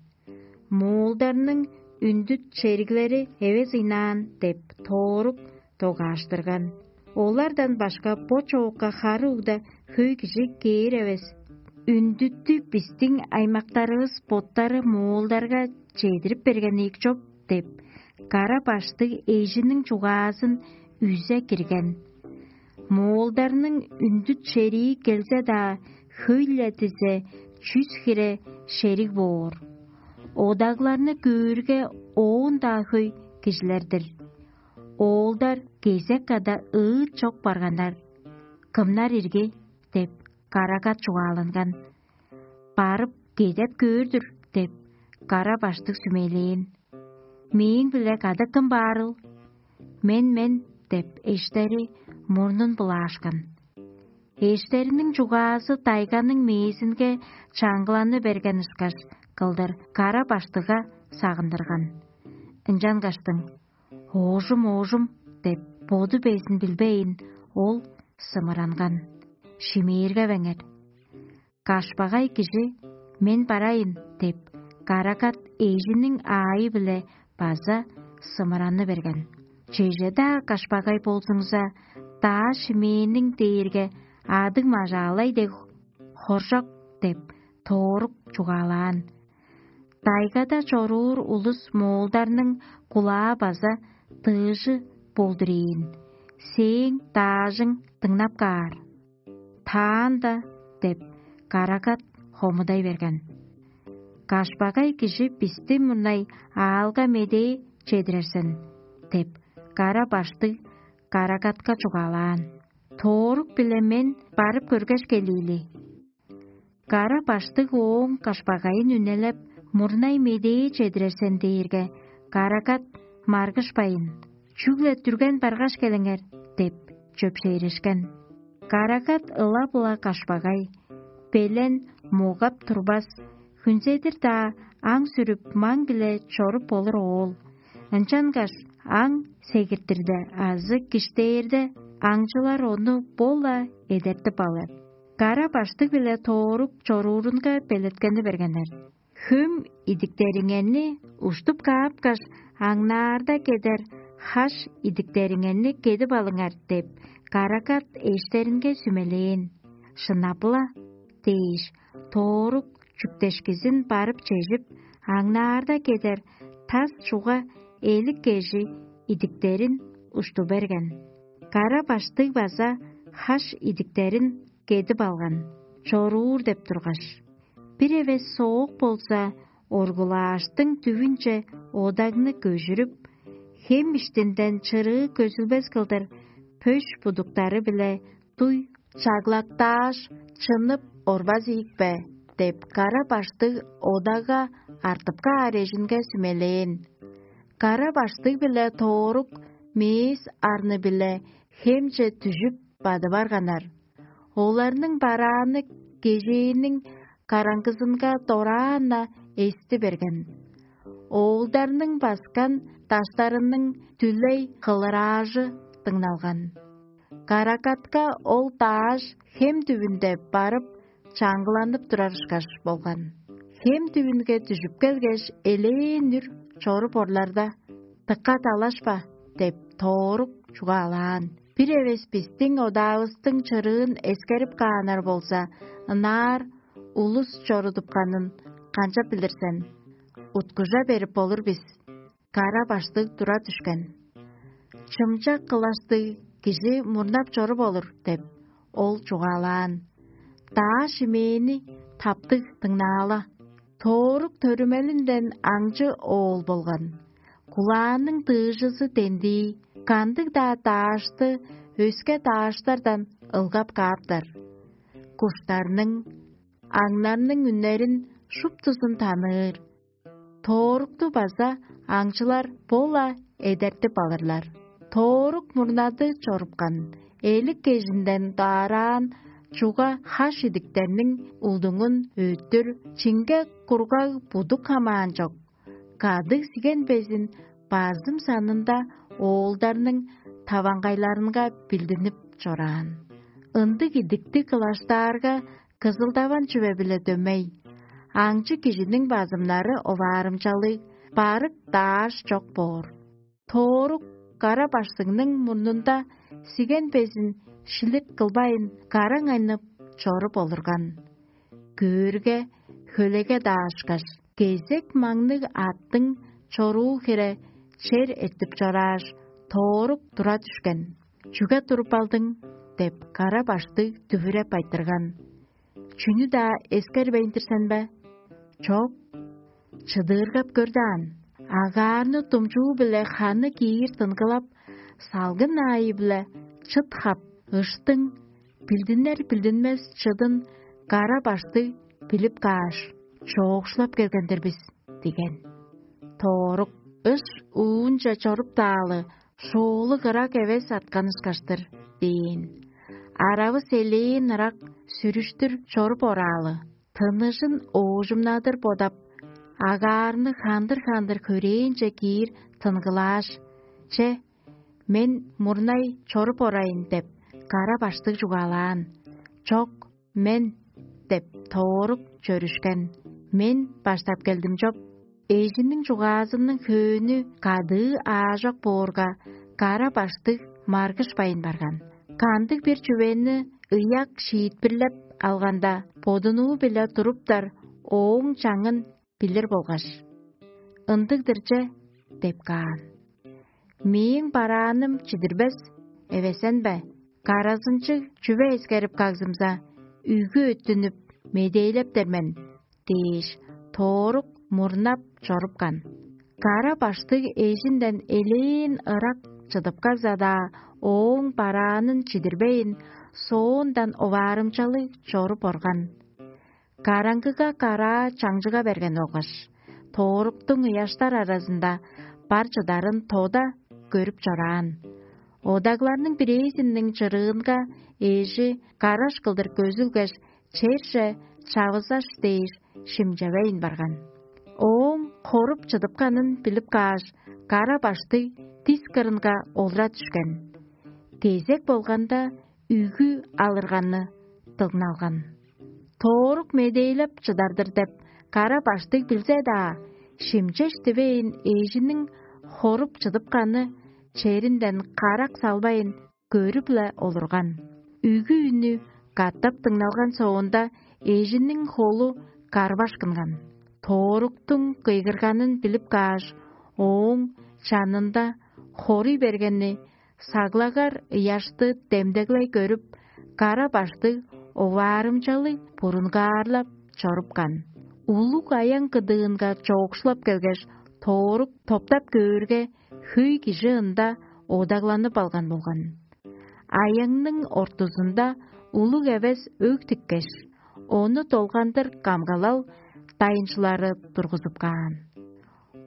«Моолдарның үндүт шериглери эвес ыйнаан» – деп, тоорук догааштырган. Олардан башка бо чоокка хары угда хөй кижи кээр эвес. «Үндүттү бистиң аймактарывыс боттары моолдарга чедирип берген ийик чоп» – деп, кара баштыг эжиниң чугаазын үзе кирген. Моолдарның үндүт шерии келзе-даа, хөй-ле дизе, чүс хире шериг боор. Одагларны көөрге, оон-даа хөй кижилер-дир. Оолдар кезек када ыыт чок барганнар. «Кымнар ирги?» – деп, карагат чугааланган. «Барып, кедеп көөр-дүр» – деп, кара баштыг сүмелээн. «Мээң-биле кады кым баарыл?» «Мен, мен» – деп, эштери мурнун булаашкан. Эштериниң чугаазы тайганың мээзинге чаңгыланы берген ышкаш кылдыр кара баштыга сагындырган. Ынчангаштың: «Оожум, оожум» – деп, боду безин билбейн, ол сымыранган. Шимээргевеңер. Кашпагай кижи: «Мен барайын» – деп, карагат эжиниң аайы-биле база сымыраны берген. «Чеже-даа кашпагай болзуңза, даа шимээниң дээрге адыг мажаалай дег хоржок» – деп, тоорук чугаалаан. Тайгада чоруур улус моолдарның кулаа база дыыжы болдур ийин. Сээң даажың дыңнап каар. «Таанда» – деп, карагат хомудай берген. «Кашпагай кижи бисти мурнай аалга медээ чедирер сен. деп, кара баштыг карагатка чугаалаан. Тоорук-биле мен барып көргеш келиили. Кара баштыг ооң кашпагайын үнелеп, мурнай медээ чедирер сен дээрге, карагат маргышпайн: «Чүгле дүрген баргаш келиңер» – деп чөпшээрешкен. Карагат ыла-була кашпагай, белен, могап турбас, хүнзедир-даа аң сүрүп, маң-биле чоруп болур оол. Ынчангаш аң сегиртирде азы киштээрде, аңчылар ону бо-ла эдертип алыр. Кара баштыг-биле тоорук чоруурунга белеткени бергеннер. «Хөм идиктериңерни уштуп каапкаш, аңнаарда кедер хаш идиктериңерни кедип алыңар» – деп, карагат эштеринге сүмелээн. «Шынап-ла» – дээш, тоорук чүктешкизин барып чежип, аңнаарда кедер тас чуга элик кежи идиктерин ушту берген. Кара баштыг база хаш идиктерин кедип алган, чоруур деп тургаш. Бир эвес соок болза, оргулааштың дүвүнче одагны көжүрүп, хем иштинден чырыы көзүлбес кылдыр пөш будуктары-биле дуй чаглактааш, чынып орбас ийик бе?» – деп, кара баштыг одага артып каар эжинге сүмелээн. Кара баштыг-биле тоорук мээс арны-биле хемче дүжүп бады барганнар. Оларның барааны кежээниң караңгызынга дораан-на эсти берген. Оолдарның баскан даштарының дүлей кылыраажы дыңналган. Карагатка ол дааш хем дүвүнде барып, чаңгыланып турар ышкаш болган. Хем дүвүнге дүжүп келгеш, элээн үр чоруп орларда: «Дыка далашпа» – деп, тоорук чугаалаан. «Бир эвес бистиң одаавыстың чырыын эскерип кааннар болза, ынаар улус чорудупканын канчап билир сен? Уткужа берип болур бис». Кара баштыг тура дүшкен. «Чымчак кылаштыг кижи мурнап чоруп олур» – деп, ол чугаалаан. Даа шимээни таптыг дыңнаала. Тоорук төрүмелинден аңчы оол болган. Кулааның дыыжызы дендии, кандыг-даа даашты өске дааштардан ылгап кааптар. Куштарның, аңнарның үннерин шуптузун таныыр. Тоорукту база аңчылар бо-ла эдертип алырлар. Тоорук мурнады чорупкан, элик кежинден даараан чуга хаш идиктерниң улдуңун өттүр, чинге кургаг будук хамаан чок. Кадыг сиген безин базым санында оолдарның таваңгайларынга билдинип чораан. Ындыг идикти кылаштаарга, кызылдаван чүве-биле дөмей. Аңчы кижиниң базымнары оваарымчалыг, барык дааш чок боор. Тоорук кара баштыңның мурнунда сиген безин шилип кылбайн, караң айнып чоруп олурган. Көөрге, хөлеге даашкаш, кезек маңныг аттың чоруу хире чер эртип чорааш, тоорук тура дүшкен. «Чүге туруп алдың?» – деп, кара баштыг дүвүреп айтырган. «Чүнү-даа эскербейн-дир сен бе?» «Чок». «Чыдыыргап көр даан. Агаарны думчуу-биле ханы киир тынгылап, салгын аайы-биле чыт хап, ыштың билдинер-билдинмес чыдын кара баштыг билип кааш, чоокшулап келген-дир бис» – диген. Тоорук: «Ыш уунче чоруптаалы, шоолуг ырак эвес аткан ышкаш-тыр» – дээн. Аравыс элээн ырак сүрүштүр чоруп ораалы, тыныжын оожумнадыр бодап, агаарны хандыр-хандыр хөрээнче киир тынгылааш: «Че, мен мурнай чоруп орайын» – деп, кара баштыг чугаалаан. «Чок, мен» – деп, тоорук чөрүшкен. «Мен баштап келдим чоп». Эжиниң чугаазының хөөнү кадыы аажок боорга, кара баштыг маргышпайн барган. Кандыг-бир чүвени ыяк шиитпирлеп алганда, бодунуу-биле туруптар ооң чаңын билир болгаш: «Ындыг-дыр че» – деп каан. «Мээң барааным чидирбес эвесен бе? Каразынчыг чүве эскерип кагзымза, үгү өттүнүп, медээлептер мен» – дээш, тоорук мурнап чорупкан. Кара баштыг эжинден элээн ырак чыдыпкарза-даа, ооң бараанын чидирбейн, соондан оваарымчалыг чоруп орган. Караңгыга караа чаңчыга берген болгаш, тооруктуң ыяштар аразында бар чыдарын тода көрүп чораан. Одагларның бирээзиниң чырыынга эжи караш кылдыр көзүлгеш, черже чавызаш дээш шимчевейн барган. Ооң хоруп чыдыпканын билип кааш, кара баштыг дис кырынга олура дүшкен. Кезек болганда, үгү алырганы дыңналган. Тоорук медээлеп чыдар-дыр деп, кара баштыг билзе-даа, шимчеш дивейн, эжиниң хоруп чыдыпканы черинден карак салбайн, көрүп-ле олурган. Үгү үнү катап дыңналган соонда, эжиниң холу карбашкынган. Тооруктуң кыйгырганын билип кааш, ооң чанында хоруй бергени саглагар ыяшты демдеглей көрүп, кара баштыг оваарымчалыг бурунгаарлап чорупкан. Улуг аян кыдыынга чоокшулап келгеш, тоорук топтап көөрге, хөй кижи ында одагланып алган болган. Аяңның ортузунда улуг эвес өг тиккеш, ону долгандыр камгалал дайынчылары тургузуп каан.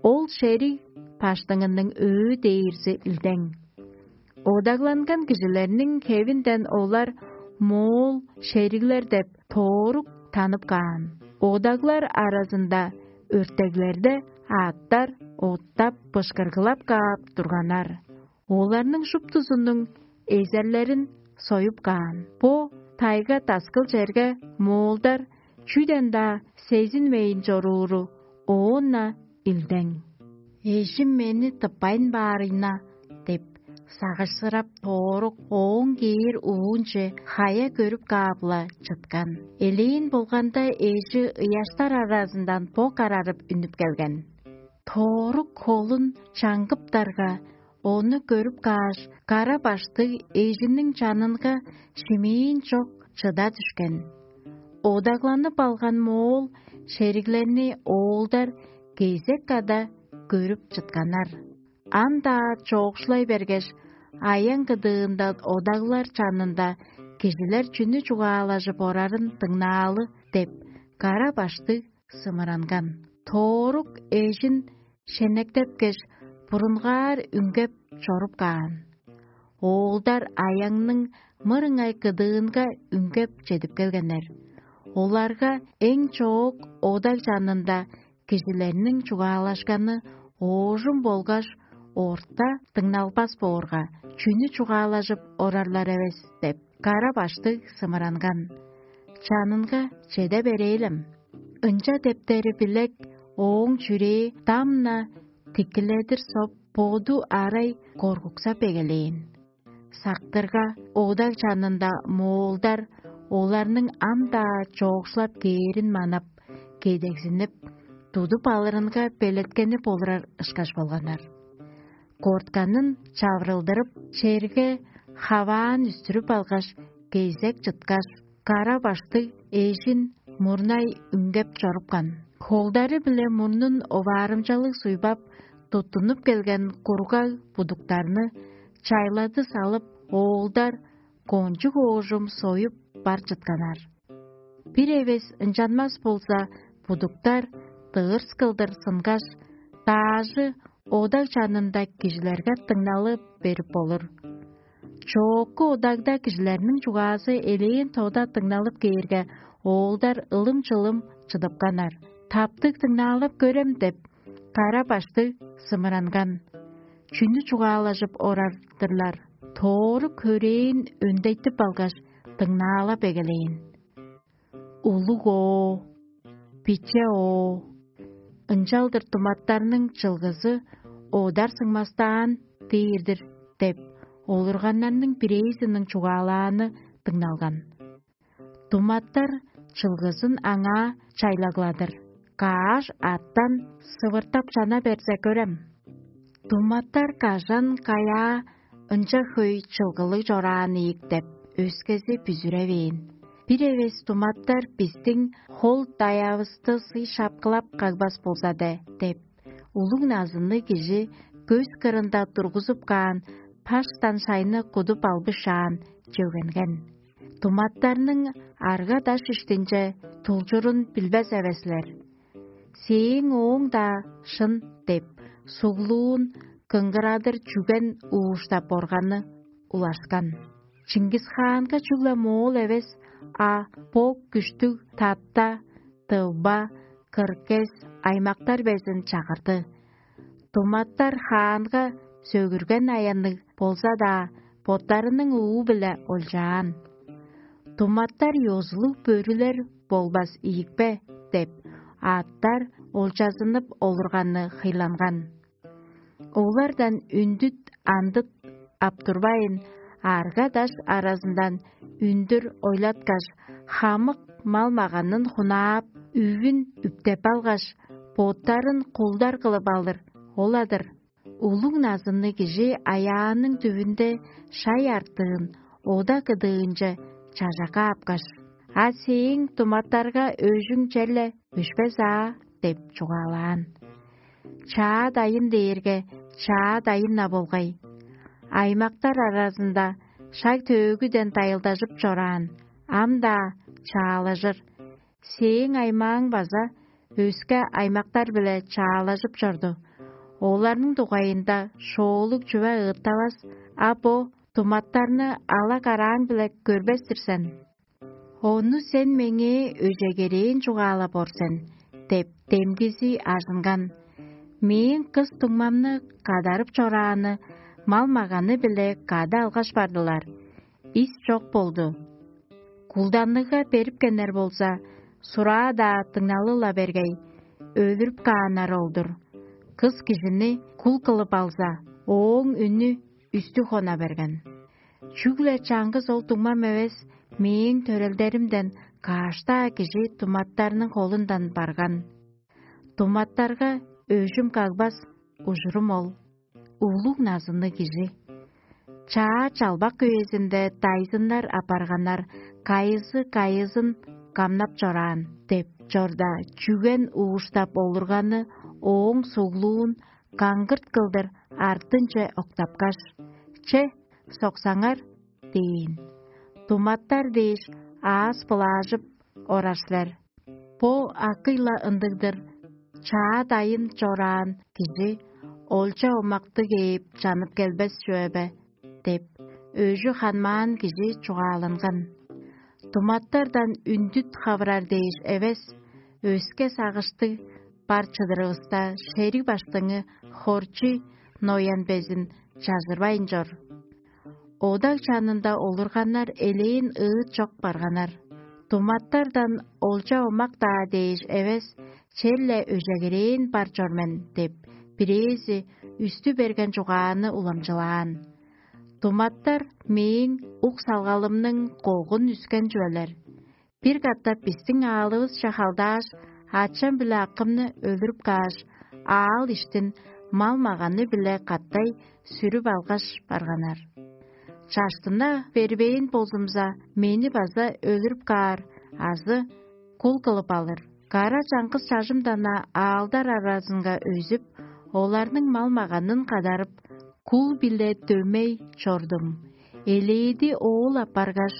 Ол шериг баштыңының өө дээрзи илдең. Одагланган кижилерниң хевинден олар моол шериглер деп тоорук танып каан. Одаглар аразында өртеглерде аъттар оттап, бышкыргылап каап турганнар. Оларның шуптузунуң эзерлерин союп каан. Бо тайга-таскыл черге моолдар чүден-даа сезинмейн чорууру оон-на илдең. «Эжим мени тыппайн баарыйна» – деп, сагышсырап, тоорук ооң кээр уунче хая көрүп каап-ла чыткан. Элээн болганда, эжи ыяштар аразындан бо карарып үнүп келген. Тоорук холун чаңгыптарга, ону көрүп кааш, кара баштыг эжиниң чанынга шимээн чок чыда дүшкен. Одагланып алган моол шериглерни оолдар кезек када көрүп чытканнар. Ам-даа чоокшулай бергеш, аян кыдыында одаглар чанында кижилер чүнү чугаалажып орарын дыңнаалы деп, кара баштыг сымыранган. Тоорук эжин шенектепкеш, бурунгаар үнгеп чоруп каан. Оолдар аяңның мырыңай кыдыынга үнгеп чедип келгеннер. Оларга эң чоок одаг чанында кижилерниң чугаалашканы оожум болгаш орта дыңналбас боорга, чүнү чугаалажып орарлар эвес деп, кара баштыг сымыранган. Чанынга чеде берээлем. Ынча дептери билек, ооң чүрээ дам-на тикиледир соп, боду арай коргуксап эгелээн. Сактырга, одаг чанында моолдар оларның ам-даа чоокшулап кээрин манап, кедегзинип, тудуп алырынга белеткени болурар ышкаш болганнар. Кортканын чавырылдырып, черге хаваан үстүрүп алгаш, кезек чыткаш, кара баштыг эжин мурнай үнгеп чорупкан. Холдары-биле мурнун оваарымчалыг суйбап, туттунуп келген кургаг будуктарны чайлады салып, оолдар кончуг оожум союп бар чытканнар. Бир эвес ынчанмас болза, будуктар дыырс кылдыр сынгаш, даажы одаг чанында кижилерге дыңналы берип болур. Чоокку одагда кижилерниң чугаазы элээн тода дыңналып кээрге, оолдар ылым-чылым чыдыпканнар. «Таптыг дыңнаалап көрем» – деп, кара баштыг сымыранган. Чүнү чугаалажып орар-дырлар? Тоору көрээн өндейтип алгаш, дыңнаалап эгелээн. Улуг оо, биче оо, ынчалдыр думаттарның чылгызы одар сыңмастаан дээр-дир деп, олурганнарның бирээзиниң чугаалааны дыңналган. Думаттар чылгызын аңаа чайлагладыр. Каш аттан сывыртап чана берзе көрем. Думаттар кажан-каяа ынча хөй чылгылыг чораан ийик деп, өскези бүзүревээн. Бир эвес думаттар бистиң хол-даяавысты сый шапкылап кагбас болза де деп, Улуг назынныг кижи көс кырында тургузуп каан паштан шайны кудуп албышаан чөгенген. Туматтарның арга-даш иштинче тулчурун билбес эвес силер. «Сээң ооң-даа шын» – деп, суглуун кыңгырадыр чүген ууштап органны улашкан. Чингис-хаанга чүгле моол эвес, а бо күштүг Татта, Тывба, Кыргыз аймактар безин чагырды. Туматтар хаанга сөгүрген аянныг болза-даа, боттарының уу-биле олчаан. «Туматтар ёзулуг бөрүлер болбас ийикпе?» – деп, аъттар олчазынып олурганны хыйланган. Олардан үндүт андыт ап турбайн, арга-даш аразындан үндүр ойлаткаш, хамык мал-маганын хунаап, үвүн үптеп алгаш, боттарын кулдар кылып алыр ол-ла-дыр. Улуг назынныг кижи аяанның дүвүнде шай артыын ода кыдыынче чажа каапкаш: «А сээң туматтарга өжүң черле өшпес аа?» – деп чугаалаан. «Чаа дайын дээрге чаа дайын-на болгай. Аймактар аразында шаг-төөгүден дайылдажып чораан, ам-даа чаалажыр. Сээң аймааң база өске аймактар-биле чаалажып чорду. Оларның дугайында шоолуг чүве ыыттавас, а бо туматтарны ала-карааң-биле көрбес-тир сен. Ону сен меңээ өжегерээн чугаалап ор сен» – деп, демгизи ажынган. «Мээң кыс дуңмамны кадарып чорааны мал-маганы-биле кады алгаш бардылар. Ис чок болду. Кулданныгга берипкеннер болза, сураа-даа дыңналы-ла бергей, өлүрүп кааннар ол-дур. Кыс кижини кул кылып алза, ооң үнү үстү хона берген. Чүгле чаңгыс ол дуңмам эвес, мээң төрелдеримден каш-даа кижи туматтарның холундан барган. Туматтарга өжүм кагбас, ужурум ол. Улуг назынныг кижи». Чаа чалбак үезинде дайзыннар апарганнар, кайызы кайызын камнап чораан деп чорда, чүген ууштап олурганы ооң суглуун каңгырт кылдыр артынче октапкаш: «Че, соксаңар» – дээн. Туматтар дээш аас-былаажып орар силер. Бо акый-ла ындыг-дыр: чаа дайын чораан кижи олча омактыг ээп чанып келбес чүве бе? – деп, өжү ханмаан кижи чугааланган. Туматтардан үндүт хавырар дээш эвес, өске сагыштыг бар чыдырывыста, шериг баштыңы хорчу ноян безин чажырбайн чор. Одаг чанында олурганнар элээн ыыт чок барганнар. Туматтардан олча омак-даа дээш эвес, черле өжегерээн бар чор мен деп, бирээзи үстү берген чугааны уламчылаан. Туматтар мээң ук салгалымның когун үскен чүвелер. Бир катап бистиң аалывысче халдааш, ачам биле акымны өлүрүп кааш, аал иштин мал-маганы-биле катай сүрүп алгаш барганнар. Чаштына бербээн болзумза, мени база өлүрүп каар азы кул кылып алыр. Кара чаңгыс чажымдан-на аалдар аразынга өзүп, оларның мал-маганын кадарып, кул-биле дөмей чордум. Элээди оол апаргаш,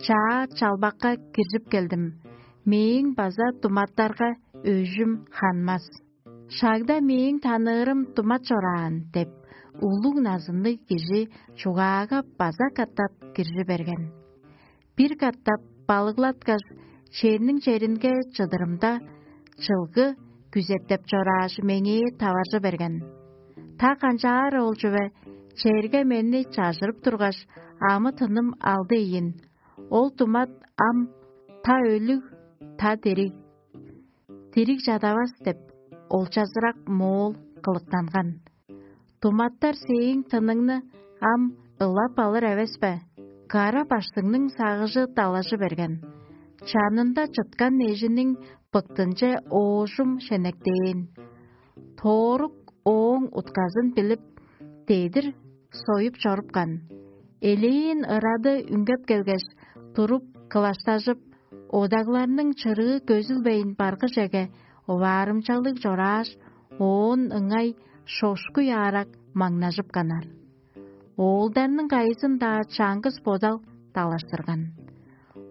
чаа чалбакка киржип келдим. Мээң база туматтарга өжүм ханмас. Шагда мээң таныырым тумат чораан деп, улуг назынныг кижи чугаага база катап киржи берген. Бир катап балыглаткаш, черниң черинге чыдырымда, чылгы күзеттеп чорааш, меңээ таваржы берген. Та канчаар ол чүве, черге мени чажырып тургаш, амы-тыным алды ийин. Ол тумат ам та өлүг, та дириг. Дириг чадавас деп, олчазырак моол кылыктанган. Туматтар сээң тыныңны ам ылап алыр эвес бе? Кара баштыңның сагыжы далажы берген. Чанында чыткан эжиниң быктынче оожум шенектээн. Тоорук ооң утказын билип, дедир союп чорупкан. Элээн ырады үнгеп келгеш, туруп, кылаштажып, одагларның чырыы көзүлбейн баргыжеге оваарымчалыг чорааш, оон ыңай шошкуй аарак маңнажып канар. Оолдарның кайызын-даа чаңгыс бодал далаштырган.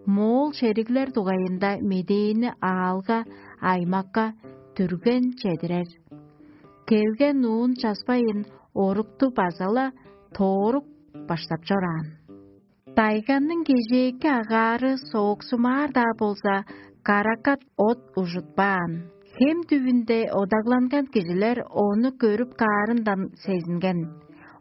Моол шериглер дугайында медээни аалга, аймакка, дүрген чедирер. Келген уун часпайын орукту база-ла тоорук баштап чораан. Дайганның кежээки агаары сооксумаар-даа болза, каракат от ужутпаан. Хем түвүнде одагланган кижилер ону көрүп каарындан сезинген.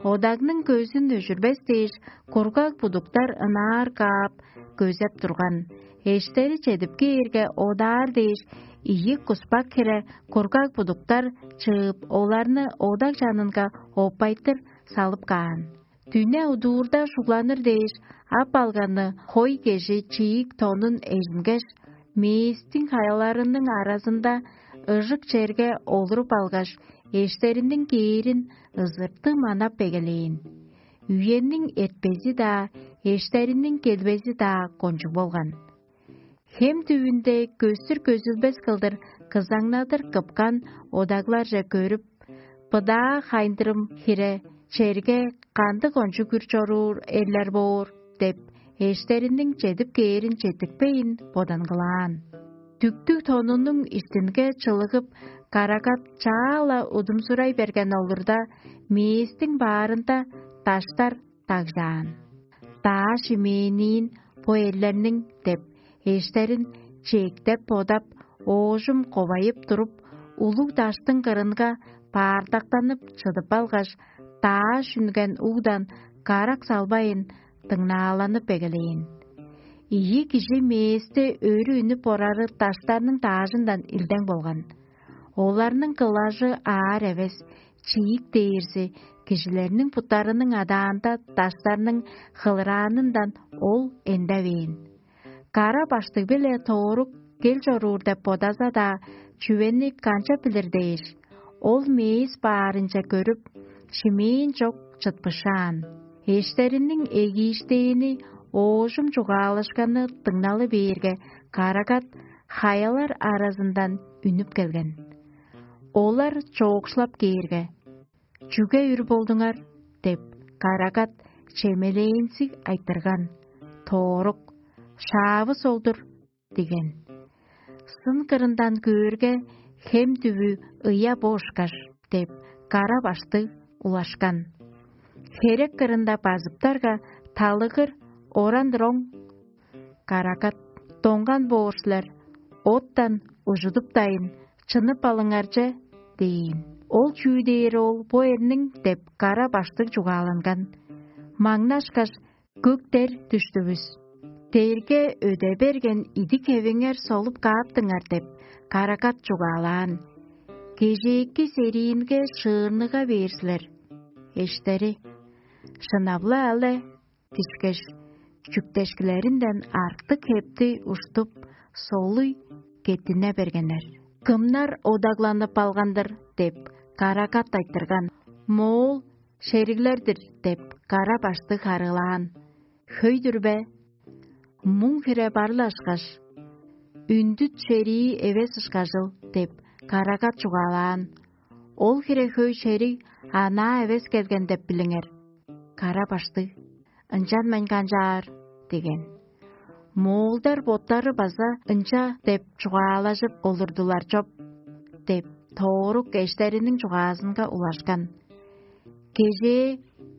Одагның көзүн өжүрбес дээш, кургаг будуктар ынаар каап, көзеп турган. Эштери чедип кээрге, одаар дээш, ийи куспак хире кургаг будуктар чыып, оларны одаг чанынга оппайтыр салып каан. Дүне удуурда шугланыр дээш, ап алганы хой кежи чиик тонун эжингеш, мээстиң хаяларының аразында ыжык черге олуруп алгаш, эштериниң кээрин ызыртыг манап эгелээн. Үениң эртпези-даа, эштериниң келбези-даа кончуг болган. Хем түвүнде көстүр-көзүлбес кылдыр кызаңнадыр кыпкан одагларже көрүп, быдаа хайындырым хире черге кандыг кончуг үр чоруур эрлер боор деп, эштериниң чедип кээрин четтикпейн бодангылаан. Дүктүг тонунуң иштинге чылыгып, карагат чаа-ла удумсурай берген олурда, мээстиң баарында даштар дагжаан. Даа шимээниин бо эрлерниң деп, эштерин чээктеп бодап, оожум ковайып туруп, улуг даштың кырынга баардактанып чыдып алгаш, даа шүнген угдан карак салбайын дыңнааланып эгелээн. Ийи кижи мээсте өрү үнүп орары даштарның даажындан илдең болган. Оларның кылажы аар эвес, чиик дээрзи, кижилерниң буттарының адаанда даштарның хылыраанындан ол эндевээн. Кара баштыг-биле тоорук кел чоруур деп бодаза-даа, чүвени канчап билир дээш, ол мээс баарынче көрүп, шимээн чок чытпышаан. Эштериниң эгииштээн оожум чугаалашканы дыңналы бээрге, карагат хаялар аразындан үнүп келген. Олар чоокшулап кээрге: «Чүге үр болдуңар?» — деп, карагат чемелээнзиг айтырган. Тоорук: «Шаавыс ол-дур» — диген. Сын кырындан көөрге, хем дүвү ыя бо ышкаш деп, кара баштыг улашкан. Херек кырында базыптарга, талыгыр оран-роң карагат: «Доңган боор силер, оттан ужудуптайын, чынып алыңар че» – дээн. Ол чүү дээр ол бо эрниң деп, кара баштыг чугааланган. Маңнашкаш, көктер дүштүвүс. Дээрге өде берген идик хевиңер солуп кааптыңар деп, карагат чугаалаан. Кежээки сериинге шыырныга бээр силер. Эштери: «Шынап-ла але» дишкеш, чүктешкилеринден артык хепти уштуп, солуй кеттине бергеннер. «Кымнар одагланып алган-дыр?» – деп, карагат айтырган. «Моол шериглер-дир» – деп, кара баштыг харыылаан. «Хөй-дүр бе? Муң хире бар-ла ышкаш, үндүт шерии эвес ышкажыл» – деп, карагат чугаалаан. «Ол хире хөй шериг анаа эвес келген деп билиңер». Кара баштыг: «Ынчан мен канчаар?» – деген. Моолдар боттары база ынча деп чугаалажып олурдулар чоп деп, тоорук эштериниң чугаазынга улашкан. «Кежээ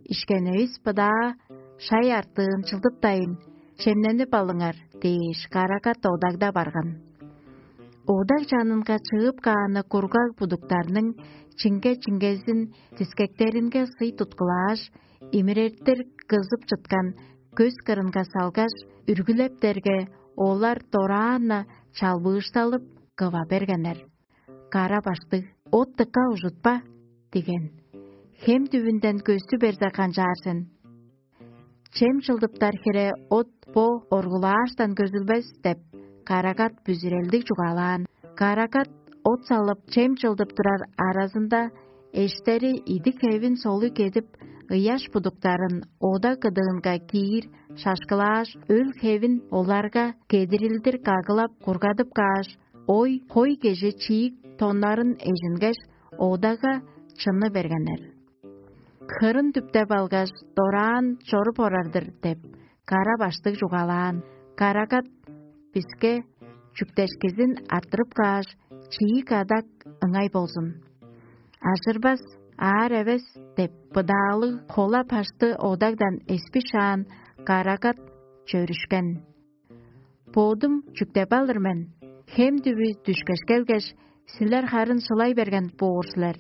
ишкенивис быдаа шай артыын чылдыптайын, чемненип алыңар» – дээш, карагат одагда барган. Одаг чанынга чыып кааны кургаг будуктарның чиңге-чиңгезин дискектеринге сый туткулааш, имиреттир кызып чыткан көс кырынга салгаш, үргүлептерге, олар дораан-на чалбыышталып, кыва бергеннер. Кара баштыг: «От дыка ужутпа» – диген. «Хем дүвүнден көстү берзе канчаар сен?» «Чем чылдыптар хире от бо оргулааштан көзүлбес» – деп, карагат бүзүрелдиг чугаалаан. Карагат от салып, чем чылдып турар аразында, эштери идик-хевин солуй кедип, ыяш будуктарын ода кыдыынга киир шашкылааш, өл-хевин оларга кедирилдир кагылап кургадып кааш, ой, хой кежи чиик тоннарын эжингеш, одага чыны бергеннер. «Хырын дүптеп алгаш, дораан чоруп орар-дыр» – деп, кара баштыг чугаалаан. Карагат биске чүктешкизин арттырып кааш, чиик адак ыңай болзун. «Ажырбас, аар эвес» – деп, быдаалыг хола башты одагдан эспишаан, карагат чөрүшкен. «Бодум чүктеп алыр мен, хем дүвү дүшкеш келгеш, силер харын шылай берген боор силер».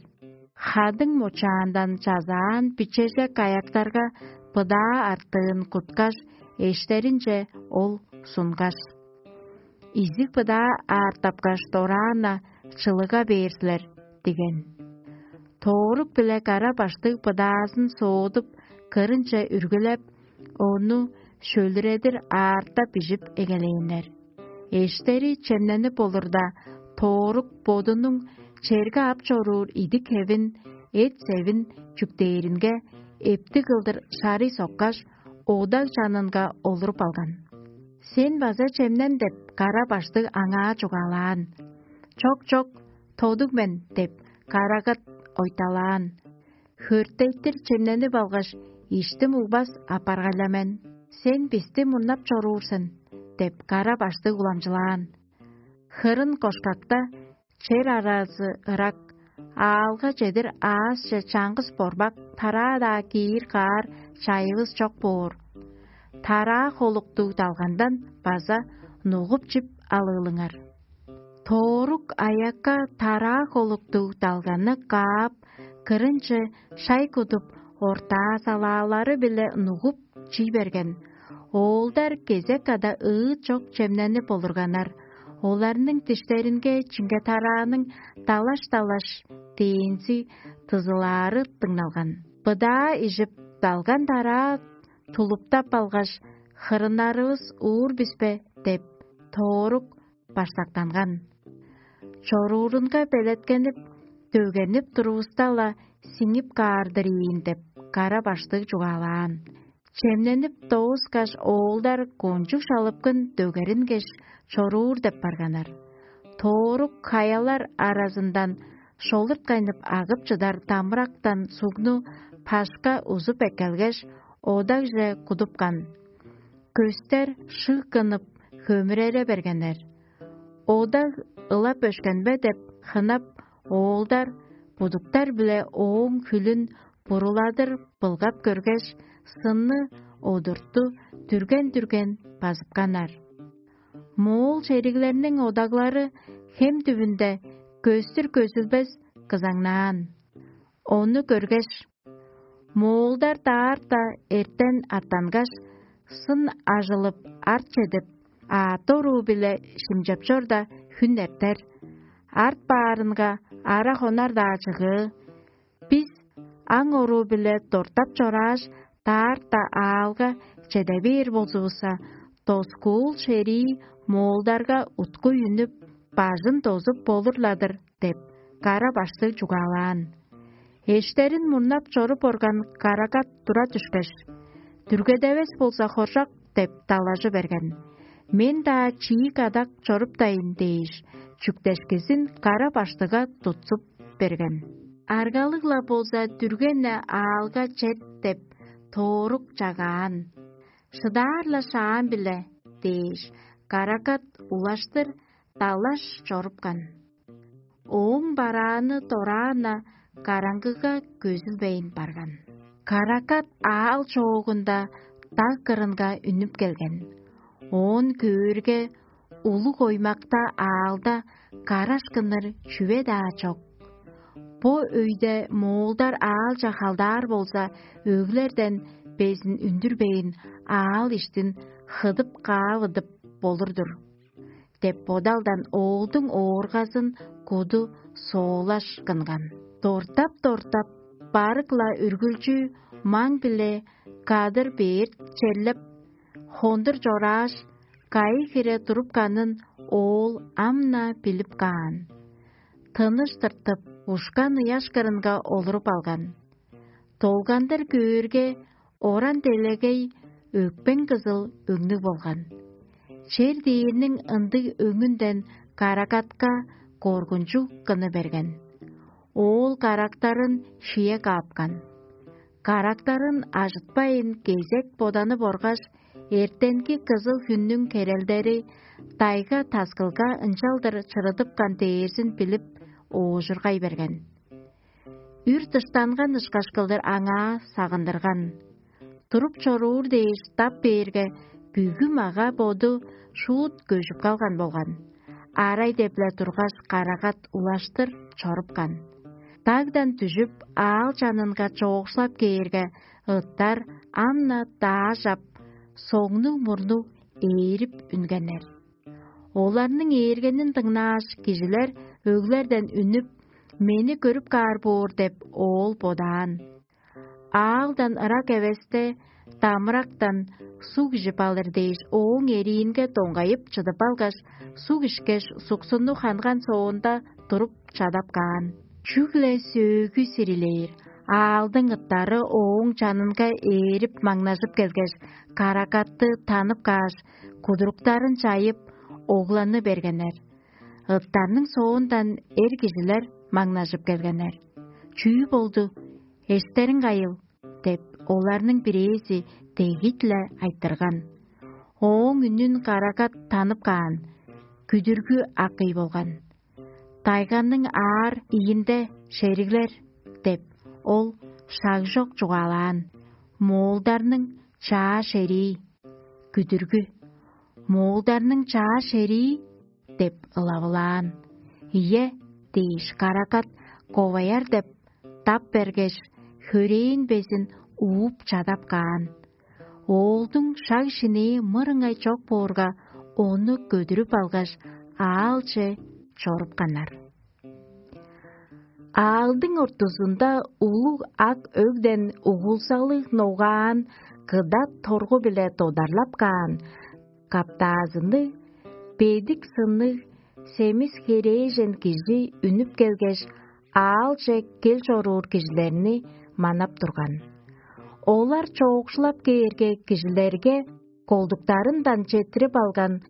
Хадың мочаандан чазаан бичежек аяктарга быдаа артыын куткаш, эштеринче ол сунгаш: «Изиг быдаа аартапкаш, дораан-на чылыга бээр силер» – диген. Тоорук биле кара баштыг быдаазын соодуп, кырынче үргүлеп, ону шөлүредир аарта бижип эгелээннер. Эштери чемненип олурда, тоорук бодунуң черге ап чоруур идик-хевин, эт-севин чүктээринге, эптиг кылдыр шарый соккаш, одаг чанынга олуруп алган. «Сен база чемнен» – деп, кара баштыг аңаа чугаалаан. «Чок, чок, тодуг мен» – деп, карагат ойталаан. «Хөртейтир чемненип алгаш, иштим улбас апаргай-ла мен. Сен бисти мурнап чоруур сен» – деп, кара баштыг уламчылаан. Хырын кошкакта, чер аразы ырак, аалга чедир аъсче чаңгыс борбак, тараа-даа киир каар чайывыс чок боор. Тараа холуктуг далгандан база нугуп чип алыылыңар. Тоорук аякка тараа холуктуг далганны каап, кырынче шай кудуп, ортаа салаалары-биле нугуп чий берген. Оолдар кезек када ыыт чок чемненип олурганнар. Оларның диштеринге чиңге-тарааның далаш-далаш дээнзи дызылаары дыңналган. Быдаа ижип, далган тараа тулуптап алгаш: «Хырыннарывыс уур бис бе?» – деп, тоорук башсактанган. Чоруурунга белеткенип, дөгенип турувуста-ла сиңип каар-дыр ийин деп, кара баштыг чугаалаан. Чемненип дооскаш, оолдар кончуг шалыпкын дөгерингеш, чоруур деп барганнар. Тоорук хаялар аразындан шолурткайнып агып чыдар дамырактан сугну пашка узуп эккелгеш, одагже кудупкан. Көстер шыг кынып, хөмүрере бергеннер. Одаг ылап өшкен бе деп хынап, оолдар будуктар-биле ооң хүлүн буруладыр былгап көргеш, сынны одурту дүрген-дүрген базыпканнар. Моол шериглерниң одаглары хем дүвүнде көстүр көзүлбес кызаңнаан. Ону көргеш, моолдар даарта эртен аттангаш, сын ажылып, арт чедип, аът оруу-биле шимчеп чорда, хүн эртер. Арт баарынга ара хонар-даа чыгыы. Бис аң оруу-биле дортап чорааш, даарта аалга чеде бээр болзувусса, доскуул шерии моолдарга уткуй үнүп, бажын дозуп болур-ла-дыр деп, кара баштыг чугаалаан. Эштерин мурнап чоруп орган карагат тура дүшкеш: «Дүргедевес болза хоржок» – деп далажы берген. «Мен-даа чиик адак чоруптайн» – дээш, чүктешкизин кара баштыга тутсуп берген. «Аргалыг-ла болза, дүрген-не аалга чет» – деп, тоорук чагаан. «Шыдаар-ла шаам-биле» – дээш, карагат улаштыр далаш чорупкан. Ооң барааны дораан-на караңгыга көзүлбейн барган. Карагат аал чоогунда даг кырынга үнүп келген. Оон көөрге, улуг оймакта аалда караш кыныр чүве-даа чок. Бо өйде моолдар аалче халдаар болза, өглерден безин үндүрбейн, аал иштин хыдып-каавыдып болур-дур деп бодалдан оолдуң ооргазын куду соолаш кынган. Дортап-дортап, барык-ла үргүлчү маң-биле кадыр бээр черлеп, хондур чорааш, кайы хире турупканын оол ам-на билип каан. Тыныш тыртып, ушкан ыяш кырынга олуруп алган. Долгандыр көөрге, оран делегей өкпең кызыл өңнүг болган. Чер дээрниң ындыг өңүнден карагатка коргунчуг кыны берген. Оол карактарын шие каапкан. Карактарын ажытпайн, кезек боданы боргаш, эртенги кызыл хүннүң херелдери тайга таскылга ынчалдыр чырыдыпкан дээрзин билип, оожургай берген. Үр дыштанган ышкаш кылдыр аңаа сагындырган. Туруп чоруур дээш дап бээрге, бүгү мага-боду шуут көжүп калган болган. Арай деп-ле тургаш, карагат улаштыр чорупкан. Дагдан дүжүп, аал чанынга чоокшулап кээрге, ыттар ам-на даажап, соңну-мурну ээрип үнгеннер. Оларның ээргенин дыңнааш, кижилер өглерден үнүп: «Мени көрүп каар боор» – деп, оол бодаан. Аалдан ырак эвесте дамырактан суг ижип алыр дээш, ооң эриинге доңгайып чыдып алгаш, суг ишкеш, суксунну ханган соонда, туруп чадап каан. Чүгле сөөгү сирилээр, аалдың ыттары ооң чанынга ээрип маңнажып келгеш, карагатты танып кааш, кудуруктарын чайып, огланы бергеннер. Ыттарның соондан эр кижилер маңнажып келгеннер: «Чүү болду? Эштериң кайыл?» – деп, оларның бирээзи дегит-ле айтырган. Ооң үнүн карагат танып каан, күдүргү акый болган. Тайганың аар ийинде шериглер деп, ол шагжок чугаалаан: «Моолдарның чаа шерии». Күдүргү: «Моолдарның чаа шерии?» – деп ылавылаан. «Ийе» – дээш, карагат: «Коваяр» – деп, дап бергеш, хөрээн безин ууп чадап каан. Оолдуң шаг-шинээ мырыңай чок боорга, ону көдүрүп алгаш, аалче чорупканнар. Аалдың ортузунда улуг ак өгден угулзалыг ногаан кыдат торгу-биле додарлап каан каптаазынныг, бедик сынныг, семис херээжен кижи үнүп келгеш, аалче кел чоруур кижилерни манап турган. Олар чоокшулап кээрге, кижилерге колдуктарындан четтирип алган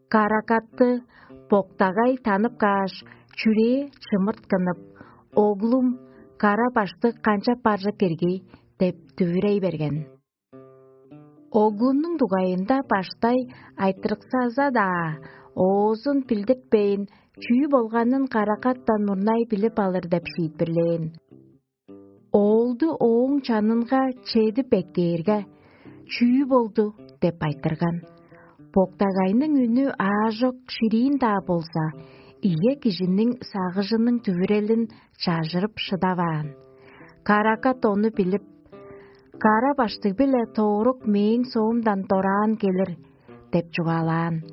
карагатты боктагай танып кааш, чүрээ чымырткынып: «Оглум, кара-баштыг канчап баржып кирги?» – деп дүвүрей берген. Оглунуң дугайында баштай айтырыксаза-даа, оозун билдиртпейн, чүү болганын карагаттан мурнай билип алыр деп шиитпирлээн. Оолду ооң чанынга чедип эккээрге: «Чүү болду?» – деп айтырган. Боктагайның үнү аажок шириин-даа болза, ийе кижиниң сагыжының дүвүрелин чажырып шыдаваан. Карагат ону билип: «Кара-баштыг-биле тоорук мээң соомдан дораан келир» – деп чугаалаан.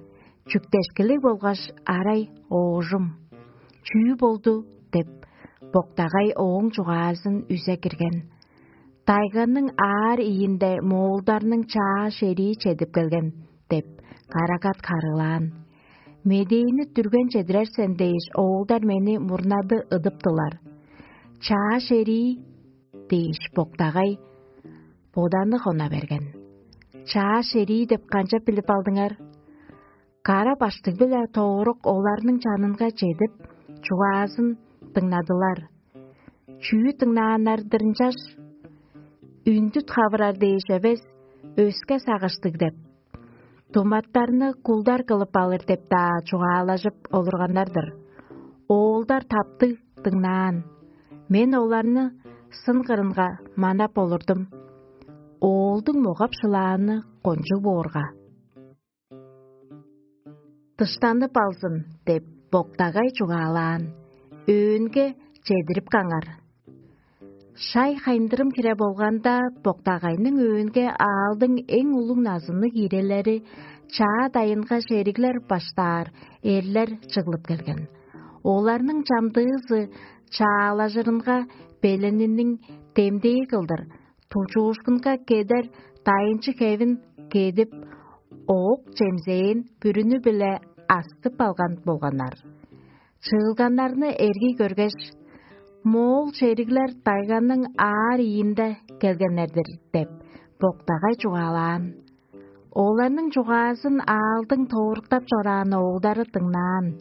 Чүктешкилиг болгаш арай оожум: «Чүү болду?» – деп, боктагай ооң чугаазын үзе кирген. «Тайганың аар ийинде моолдарның чаа шерии чедип келген» – деп, карагат харыылаан. «Медээни дүрген чедирер сен дээш, оолдар мени мурнады ыдыптылар». «Чаа шерии?» – дээш, боктагай боданы хона берген. «Чаа шерии деп канчап билип алдыңар?» Кара-баштыг-биле тоорук оларның чанынга чедип, чугаазын дыңнадылар. Чүү дыңнааннар-дыр ынчаш? Үндүт хавырар дээш эвес, өске сагыштыг деп, думаттарны кулдар кылып алыр деп-даа чугаалажып олурганнар-дыр. Оолдар таптыг дыңнаан. Мен оларны сын кырынга манап олурдум. Оолдуң могап-шылааны кончуг боорга. «Дыштанып алзын» – деп, боктагай чугаалаан. Өөнге чедирип каңар. Шай хайындырым хире болганда, боктагайның өөнге аалдың эң улуг назынныг ирелери, чаа дайынга шериглер баштаар эрлер чыглып келген. Оларның чамдыызы чаалажырынга белениниң демдээ кылдыр, тужуушкунга кедер дайынчы хевин кедип, оок-чемзээн бүрүнү-биле астып алган болганнар. Чыылганнарны эргий көргеш: «Моол шериглер тайганың аар ийинде келгеннер-дир» – деп, боктагай чугаалаан. Оларның чугаазын аалдың тооруктап чораан оолдары дыңнаан.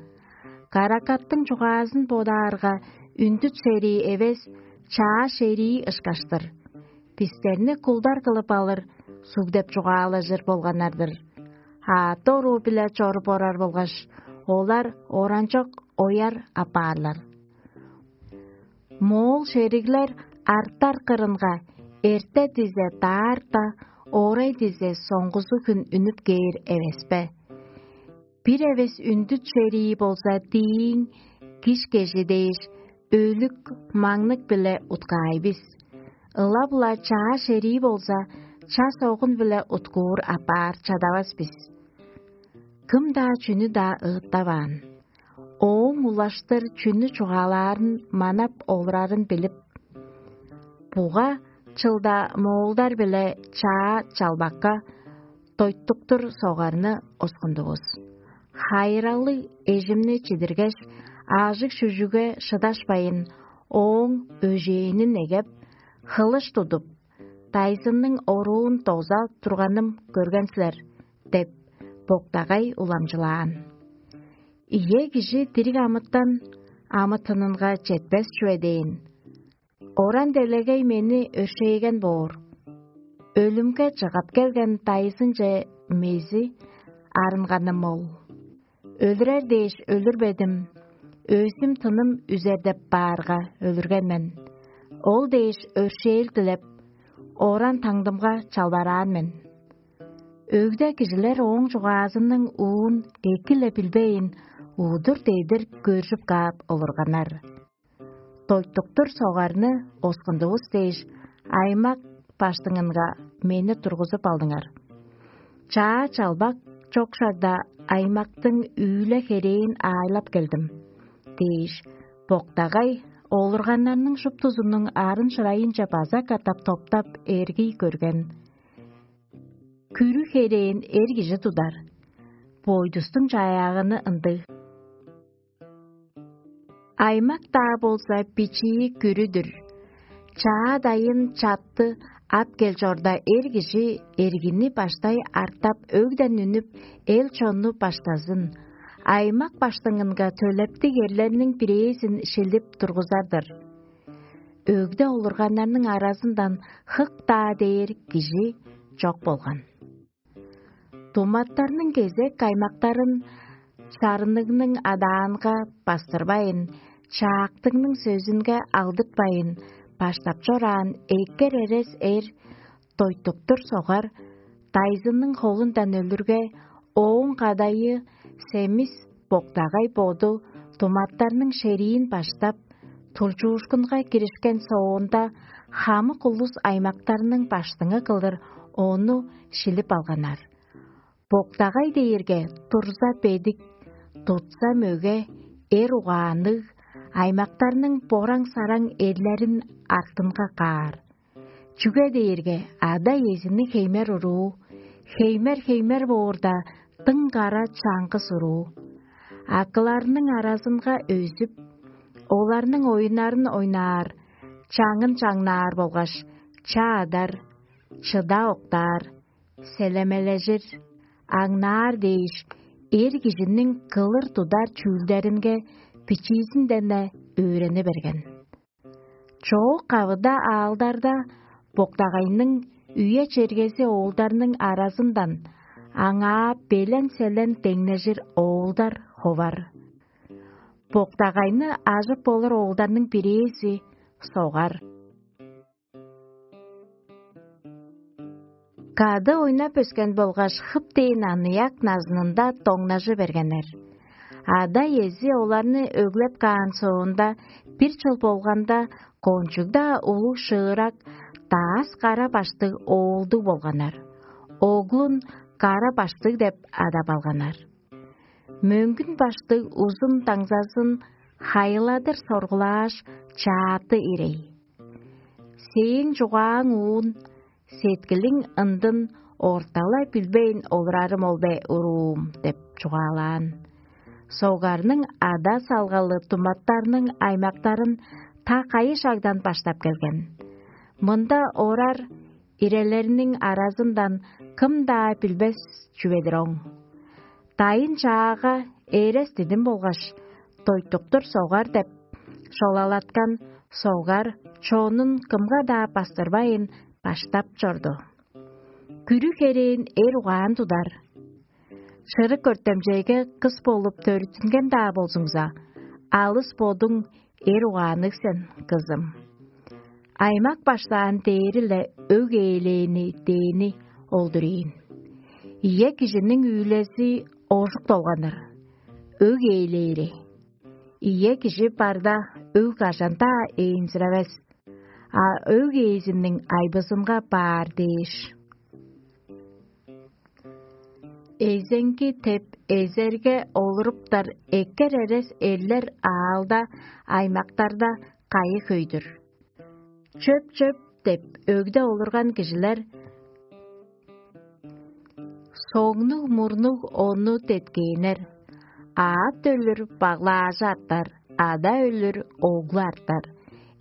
Каракаттың чугаазын бодаарга, Үндүт шерии эвес, чаа шерии ышкаш-тыр. Бистерни кулдар кылып алыр суг деп чугаалажыр болганнар-дыр. Аът оруу-биле чоруп орар болгаш, олар оранчок ояр апаарлар. Моол шериглер артар кырынга эрте дизе даарта, орай дизе соңгузу хүн үнүп кээр эвеспе? Бир эвес үндүт шерии болза дииң, киш кежи дээш, өлүк, маңнык-биле уткаай бис. Ылап-ла чаа шерии болза, час огун-биле уткуур апаар чадавас бис. Кым-даа чүнү-даа ыыттаваан. Ооң улаштыр чүнү чугаалаарын манап олурарын билип, буга чылда моолдар-биле чаа чалбакка дойтуктур согарны оскундувус. Хайыралыг эжимни чидиргеш, аажыг-шүжүгге шыдашпайн, ооң өжээнин эгеп, хылыш тудуп, дайзынның оруун доза турганым көрген силер» — деп, боктагай уламчылаан. Ийе, кижи дириг амытан амытынынга четпес чүве дээн. Оран делегей мени өршээген боор. Өлүмге чыгап келген дайзынче мези арынганым ол. Өлүрер дээш өлүрбедим, өзүм тыным үзер деп баарга өлүрген мен. Ол дээш өршээл дилеп, оран таңдымга чалбараан мен. Өгде кижилер ооң чугаазының уун эки-ле билбейн, удур-дедир көржүп каап олурганнар. Дойтуктур согарны оскундувус дээш, аймак баштыңынга мени тургузуп алдыңар. Чаа чалбак чок шагда аймактың үүле херээн аайлап келдим, — дээш, боктагай олурганнарның шуптузунуң арын-шырайынче база катап топтап эргий көрген. Күрү херээн эр кижи тудар, бойдустуң чаяагыны ындыг. Аймак-даа болза бичии күрү-дүр. Чаа дайын чатты ап кел чорда, эр кижи эргини баштай артап, өгден үнүп, эл-чонну баштазын, аймак баштыңынга төлептиг эрлерниң бирээзин шилип тургузар-дыр. Өгде олурганнарның аразындан хык-даа дээр кижи чок болган. Думаттарның кезек аймактарын чарынныг адаанга бастырбайн, чаактыңның сөзүнге алдыртпайн, баштап чораан эккер эрес эр дойтуктур согар дайзынның холундан өлүрге, ооң кадайы семис боктагай боду думаттарның шериин баштап, тулчуушкунга киришкен соонда, хамык улус аймактарның баштыңы кылдыр ону шилип алганнар. Боктагай дээрге турза бедик, тутса мөге, эр угаанныг, аймактарның бораң-сараң эрлерин артынга каар. Чүге дээрге ада-иезини хеймер уруу, хеймер-хеймер боорда, дың кара чаңгыс уруу. Акыларның аразынга өзүп, оларның оюннарын ойнаар, чаңын чаңнаар болгаш чаадар, чыда октаар, селемележир, аңнаар дээш, эр кижиниң кылыр тудар чүүлдеринге бичиизинден-не өөрени берген. Чоок-кавыда аалдарда боктагайның үе-чергези оолдарның аразындан аңаа белен-селен деңнежир оолдар ховар. Боктагайны ажып болур оолдарның бирээзи согар. Кады ойнап өскен болгаш хып дээн аныяк назынында доңнажы бергеннер. Ада-иези оларны өглеп каан соонда, бир чыл болганда, кончуг-даа улуг шыырак даас кара баштыг оолдуг болганнар. Оглун кара баштыг деп адап алганнар. Мөңгүн баштыг узун даңзазын хайыладыр соргулааш, чааты ирей. Сээң чугааң уун, сеткилиң ындын орталай билбейн олурарым ол бе, уруум? — деп чугаалаан. Согарның ада салгалы думаттарның аймактарын та кайы шагдан баштап келген. Мында орар ирелерниң аразындан кым-даа билбес чүве-дир оң. Дайын чаага эрес дидим болгаш, дойтуктур согар деп шолалаткан согар чонун кымга-даа бастырбайн баштап чорду. Күрү херээн эр угаан тудар. Шырык өртемчейге кыс болуп төрүттүнген-даа болзуңза, алыс бодуң эр угаанныг сен, кызым. Аймак баштаан дээри-ле өг ээлээни дээни олдур ийин. Ийе, кижиниң үүлези ожук долганыр, өг ээлээри. Ийе, кижи барда өг кажан-даа ээнзиревес, а өг ээзиниң айбызынга баар дээш. Эзеңки деп эзерге олуруптар эккер эрес эрлер аалда, аймактарда кайы хөй-дүр. Чөп-чөп деп өгде олурган кижилер соңнуг-мурнуг ону деткээннер. Аът өлүр баглаажы артар, ада өлүр оглу артар.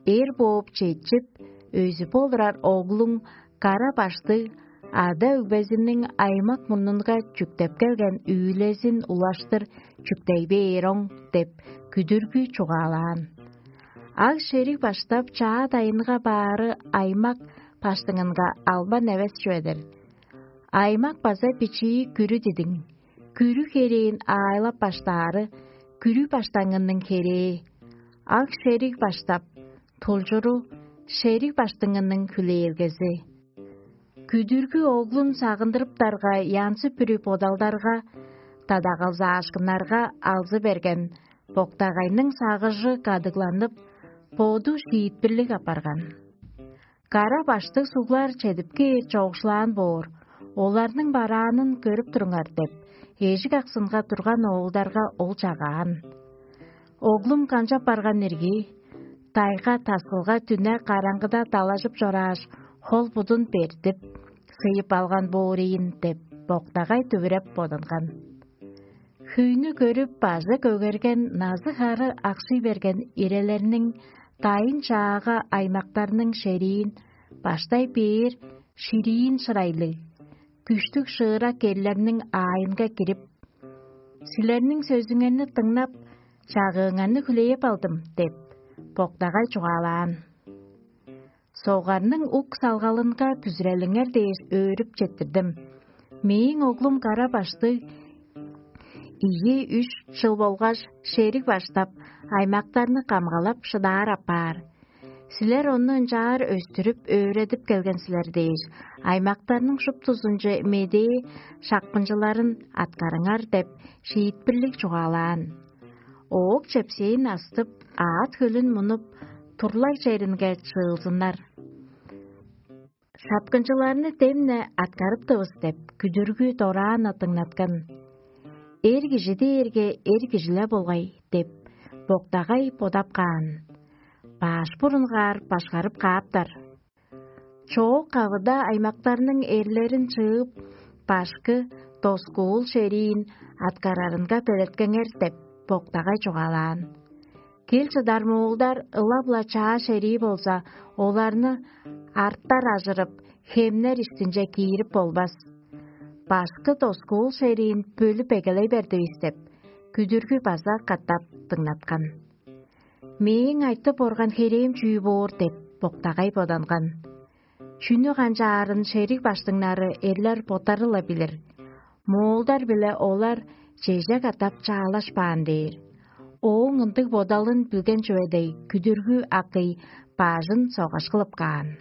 Эр бооп четчип, өзүп олурар оглуң кара баштыг ада-өгбезиниң аймак мурнунга чүктеп келген үүлезин улаштыр чүктей бээр оң деп күдүргү чугаалаан. Аг шериг баштап чаа дайынга баары аймак баштыңынга албан эвес чүве-дир. Аймак база бичии күрү дидиң, күрү херээн аайлап баштаары күрү баштаңының херээ, аг шериг баштап, тулчуру шериг баштыңының хүлээлгези. Күдүргү оглун сагындырыптарга янзы-бүрү бодалдарга, дадагалзаашкыннарга алзы берген боктагайның сагыжы кадыгланып, боду шиитпирлиг апарган. Кара баштыг суглар чедип кээр чоокшулаан боор, оларның бараанын көрүп туруңар деп, эжик аксынга турган оолдарга ол чагаан. Оглум канчап барган ирги, тайга таскылга дүне караңгыда далажып чорааш, хол-будун бертип, сыйып алган боор ийин деп, боктагай дүвүреп боданган. Хүйнү көрүп, бажы көгерген назы-хары акшый берген ирелерниң дайын чаага аймактарның шериин баштай бээр шириин шырайлыг, күштүг шыырак эрлерниң аайынга кирип: «Силерниң сөзүңерни дыңнап, чагыыңарны хүлээп алдым» – деп, боктагай чугаалаан. Согарның ук салгалынга бүзүрелиңер дээш өөрүп четтирдим. Мээң оглум кара баштыг ийи-үш чыл болгаш шериг баштап, аймактарны камгалап шыдаар апаар. Силер ону ынчаар өстүрүп, өөредип келген силер дээш, аймактарның шуптузунче медээ шапкынчыларын аткарыңар деп шиитпирлиг чугаалаан. Оок чепсээн астып, аът хөлүн мунуп, турлаг черинге чыылзыннар. Шапкынчыларны демне аткарыптывыс деп, күдүргү дораан дыңнаткан. Эр кижи дээрге эр кижи-ле болгай деп, боктагай бодап каан. Баш бурунгаар башкарып кааптар. Чоок кавыда аймактарның эрлерин чыып, башкы доскуул шериин аткарарынга белеткеңер деп, боктагай чугаалаан. Кел чыдар муулдар ылап-ла чаа шерии болза, оларны арттар ажырып, хемнер иштинче киирип болбас. Башкы доскуул шериин бөлүп эгелей бердивис деп, күдүргү база катап дыңнаткан. Мээң айтып орган херээм чүү боор деп, боктагай боданган. Чүнү канчаарын шериг баштыңнары эрлер боттары-ла билир. Моолдар-биле олар чеже катап чаалашпаан дээр. Ооң ындыг бодалын билген чүве дег, күдүргү акый бажын согаш кылып каан.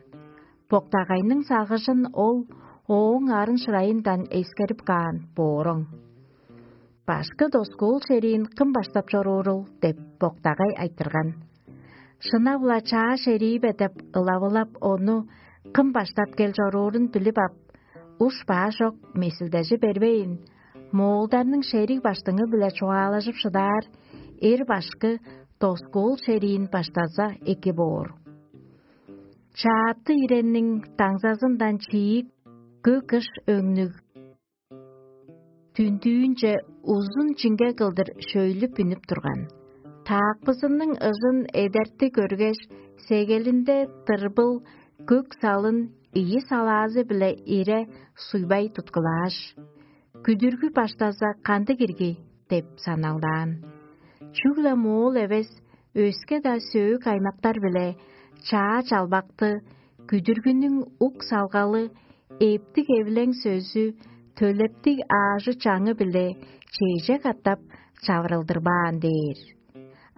Боктагайның сагыжын ол ооң арын-шырайындан эскерип каан бооруң. «Башкы доскуул шериин кым баштап чоруурул?» – деп, боктагай айтырган. «Шынап-ла чаа шерии бе?» – деп ылавылап, ону кым баштап кел чоруурун билип ап, уш-баа чок месилдежи бербейн, моолдарның шериг баштыңы-биле чугаалажып шыдаар эр башкы доскуул шериин баштаза эки боор. Чаатты иренниң даңзазындан чиик көк ыш өңнүг дүндүүнче узун чиңге кылдыр шөйлүп үнүп турган. Таакпызының ыжын эдерти көргеш, сегелинде тырбыл көк салын ийи салаазы-биле ире суйбай туткулааш: «Күдүргү баштаза кандыг ирги?» – деп саналдаан. Чүгле моол эвес, Өске-даа сөөк аймактар-биле чаа чалбакты, күдүргүнүң ук салгалы, эптиг эвилең сөзү, төлептиг аажы-чаңы-биле чеже катап чавырылдырбаан дээр.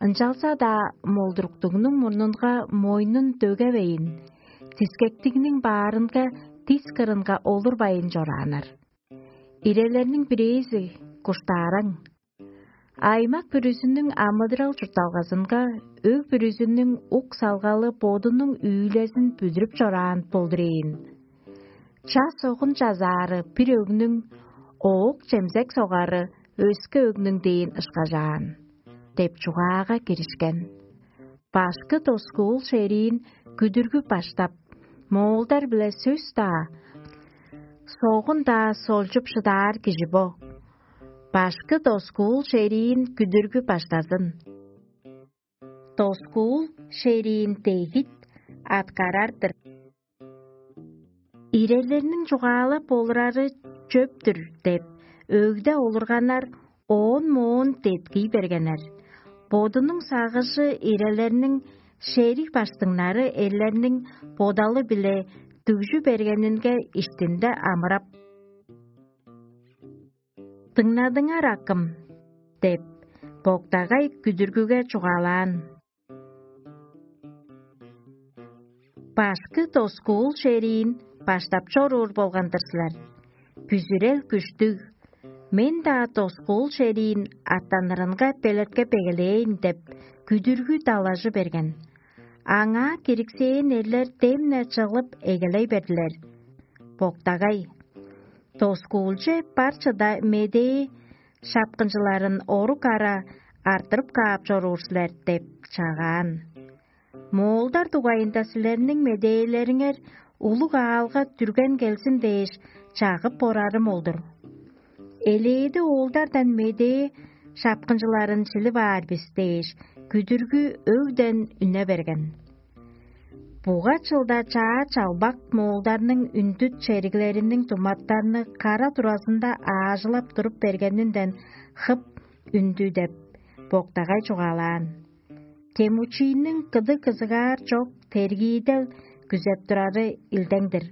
Ынчалза-даа молдуруктугнуң мурнунга мойнун дөгевейн, дискектигниң баарынга дис кырынга олурбайн чорааннар. Ирелерниң бирээзи куштаараң. Аймак бүрүзүнүң амыдырал чуртталгазынга өг бүрүзүнүң ук салгалы бодунуң үүлезин бүдүрүп чораан болдурээн. Час огун чазаары бир өгнүң, оок чемзек согары өске өгнүң дээн ышкажаан деп чугаага киришкен. Башкы доскуул шериин күдүргү баштап, моолдар-биле сөс-даа, согун-даа солчуп шыдаар кижи бо. Башкы доскуул шериин күдүргү баштазын. Доскуул шериин дегит аткарар-дыр. Ирелерниң чугаалап олурары чөптүр деп, өгде олурганнар оон-моон деткий бергеннер. Бодунуң сагыжы ирелерниң шериг баштыңнары эрлерниң бодалы-биле дүгжү бергенинге иштинде амырап: «Дыңнадыңар, акым» – деп, боктагай күдүргүге чугаалаан. Башкы доскуул шериин баштап чоруур болган-дыр силер. Бүзүрел күштүг, мен-даа доскуул шериин аттанырынга белеткеп эгелээйн деп, күдүргү далажы берген. Аңаа кириксээн эрлер демне чыглып эгелей бердилер. Боктагай: «Доскуулче бар чыда медээ шапкынчыларын орук ара артырып каап чоруур силер» – деп чагаан. Моолдар дугайында силерниң медээлериңер улуг аалга дүрген келзин дээш, чагып борарым ол-дур. Элээди оолдардан медээ шапкынчыларын шилип аар бис дээш, күдүргү өгден үне берген. Буга чылда чаа чалбак моолдарның үндүт чериглериниң туматтарны кара туразында аажылап туруп бергенинден хып үндү деп, боктагай чугаалаан. Темучинниң кыдыг кызыгаар чок тергиидел күзеп турары илдең-дир.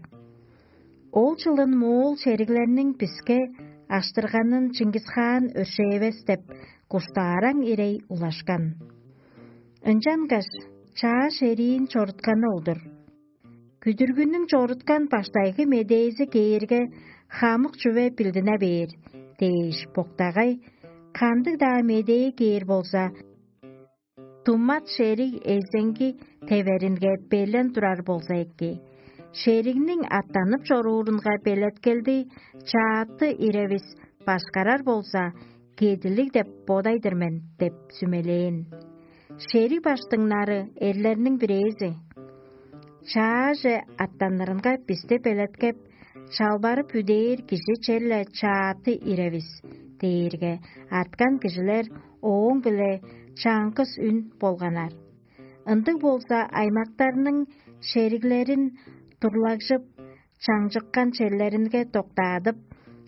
Ол чылын моол чериглерниң биске аштырганын Чингисхаан өршээвес деп, куштаараң ирей улашкан. Ынчангаш чаа шериин чорутканы ол-дур. Күдүргүнүң чоруткан баштайгы медээзи кээрге, хамык чүве билдине бээр дээш, боктагай кандыг-даа медээ кээр болза, тумат шериг эзеңги теверинге белен турар болза эки, шеригниң аттанып чоруурунга белеткелди чааты иревис башкарар болза, кедилиг деп бодай-дыр мен деп сүмелээн. Шериг баштыңнары эрлерниң бирээзи: «Чааже аттанырынга бисти белеткеп, чалбарып үдээр кижи черле чааты иревис» – дээрге, арткан кижилер ооң-биле чаңгыс үн болганнар. Ындыг болза, аймактарның шериглерин турлагжып, чаңчыккан черлеринге доктаадып,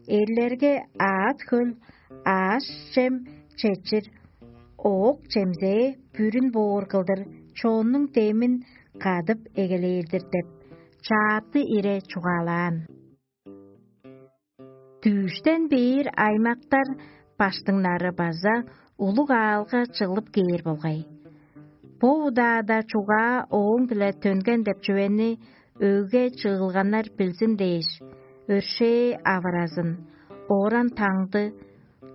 эрлерге аът-хөл, аъш-чем четчир, оок-чемзээ бүрүн боор кылдыр чоннуң демин кадып эгелээр-дир деп, чааты ире чугаалаан. Дүъштен бээр аймактар баштыңнары база улуг аалга чыглып кээр болгай. Бо удаада чугаа ооң-биле төнген деп чүвени өгге чыылганнар билзин дээш, өршээ авыразын, оран таңды,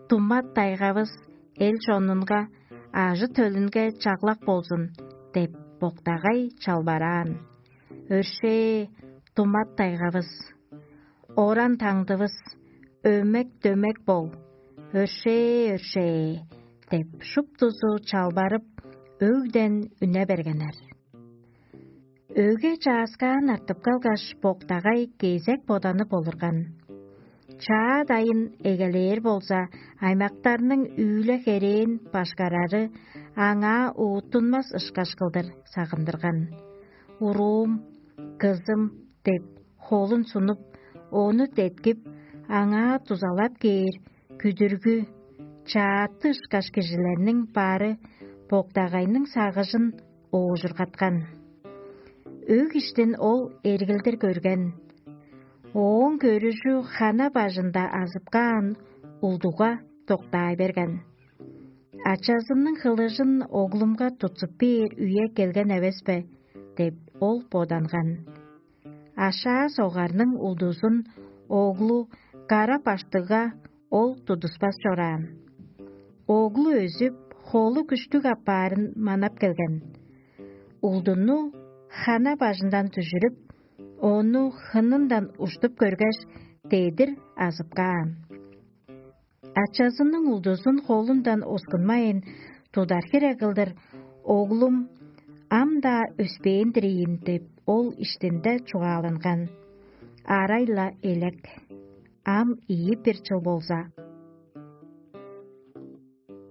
тумат тайгавыс эл чонунга, ажы-төлүнге чаглак болзун деп, боктагай чалбараан. Өршээ, тумат тайгавыс, оран таңдывыс, өмек-дөмек бол, өршээ, өршээ деп, шуптузу чалбарып, өгден үне бергеннер. Өге чааскаан артып калгаш, боктагай кезек боданып олурган. Чаа дайын эгелээр болза, аймактарның үүле-херээн башкарары аңаа уттунмас ышкаш кылдыр сагындырган. «Уруум, кызым» – деп, холун сунуп, ону деткип, аңаа дузалап кээр күдүргү, чааты ышкаш кижилерниң бары боктагайның сагыжын оожургаткан. Өг иштин ол эргилдир көрген. Ооң көрүжү хана бажында азып каан улдуга доктаа берген. «Ачазының хылыжын оглумга тутсуп бээр үе келген эвес бе?» – деп, ол боданган. Ашаа согарның улдузун оглу кара баштыгга ол тудуспас чораан. Оглу өзүп, холу күштүг апаарын манап келген. Улдуну хана бажындан дүжүрүп, ону хынындан уштуп көргеш, дедир азып каан. Ачазының улдузун холундан оскунмайн, тудар хире кылдыр: «Оглум, ам-даа өспээн-дир ийин» – деп, ол иштинде чугааланган. Арай-ла элек. Ам ийи бир чыл болза.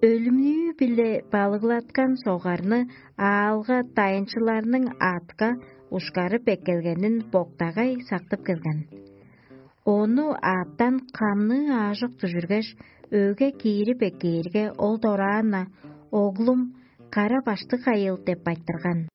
Өлүмнүү-биле балыглаткан согарны аалга дайынчыларның аътка ушкарып эккелгенин боктагай сактып келген. Ону аъттан камныы аажок дүжүргеш, өге киирип эккээрге, ол дораан-на: «Оглум, кара баштыг кайыл» – деп айтырган.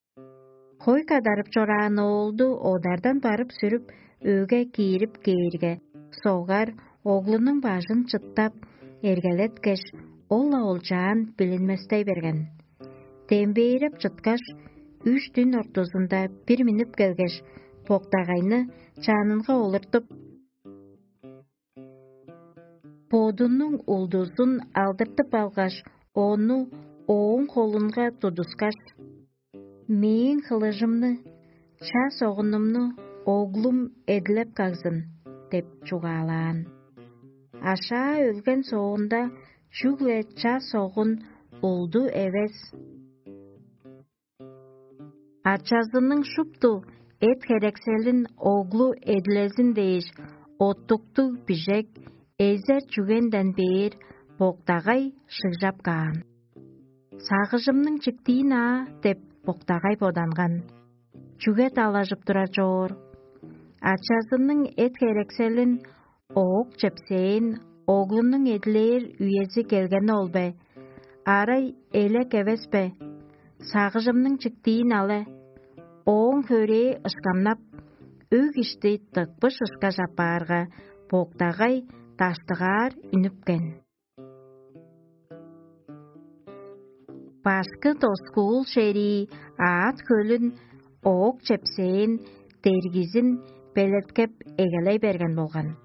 Хой кадарып чораан оолду одардан барып сүрүп, өге киирип кээрге, согар оглунуң бажын чыттап, эргелеткеш, ол-ла олчаан билинместей берген. Дембээреп чыткаш, үш дүн ортузунда бир миннип келгеш, боктагайны чанынга олуртуп, бодунуң улдузун алдыртып алгаш, ону ооң холунга тудускаш: «Мээң хылыжымны, ча согунумну оглум эдилеп кагзын» – деп чугаалаан. Ашаа өлген соонда, чүгле ча согун улду эвес, ачазының шупту эт-херекселин оглу эдилезин дээш, оттуктуг бижек, эзер чүгенден бээр боктагай шыгжап каан. «Сагыжымның чиктиин аа» – деп, боктагай боданган. Чүге далажып турар чоор? Ачазының эт-херекселин оок чепсээн оглунуң эдилээр үези келгени ол бе? Арай элек эвес бе? Сагыжымның чиктиин але. Ооң хөрээ ышкамнап, өг ишти дыкпыш ышкаш апаарга, боктагай даштыгаар үнүпкен. Башкы доскуул шерии аът хөлүн оок чепсээн дергизин белеткеп эгелей берген болган.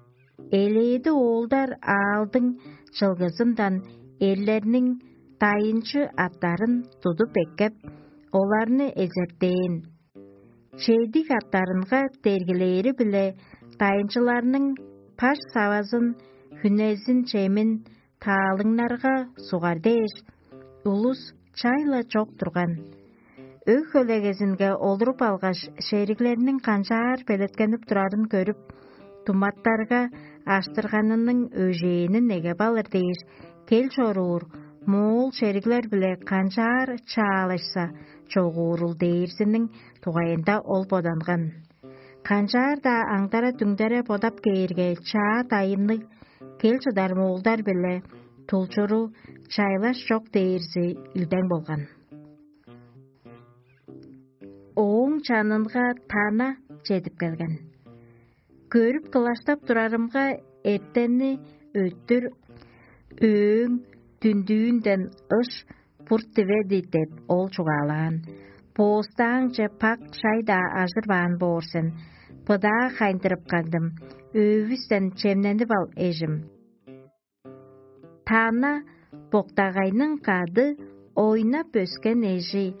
Элээди оолдар аалдың чылгызындан эрлерниң дайынчы аттарын тудуп эккеп, оларны эзертээн. Чедиг аттарынга дергилээри-биле дайынчыларның паш савазын, хүнезин, чемин таалыңнарга сугар дээш, улус чай-ла чок турган. Өг-хөлегезинге олуруп алгаш, шериглерниң канчаар белеткенип турарын көрүп, думаттарга аштырганының өжээнин эгеп алыр дээш, кел чоруур моол шериглер-биле канчаар чаалашса чогуурул дээрзиниң дугайында ол боданган. Канчаар-даа аңдара-дүңдере бодап кээрге, чаа дайынныг, кел чыдар моолдар-биле тулчуру чайлаш чок дээрзи илдең болган. Ооң чанынга тана чедип келген. Көрүп кылаштап турарымга, эртенни өттүр өөң дүндүүнден ыш бурт диведи деп, ол чугаалаан. Боостааңче пак шай-даа ажырбаан боор сен. Быдаа хайындырып кагдым. Өөвүстен чемненип ал, эжим. Тана боктагайның кады ойнап өскен эжи.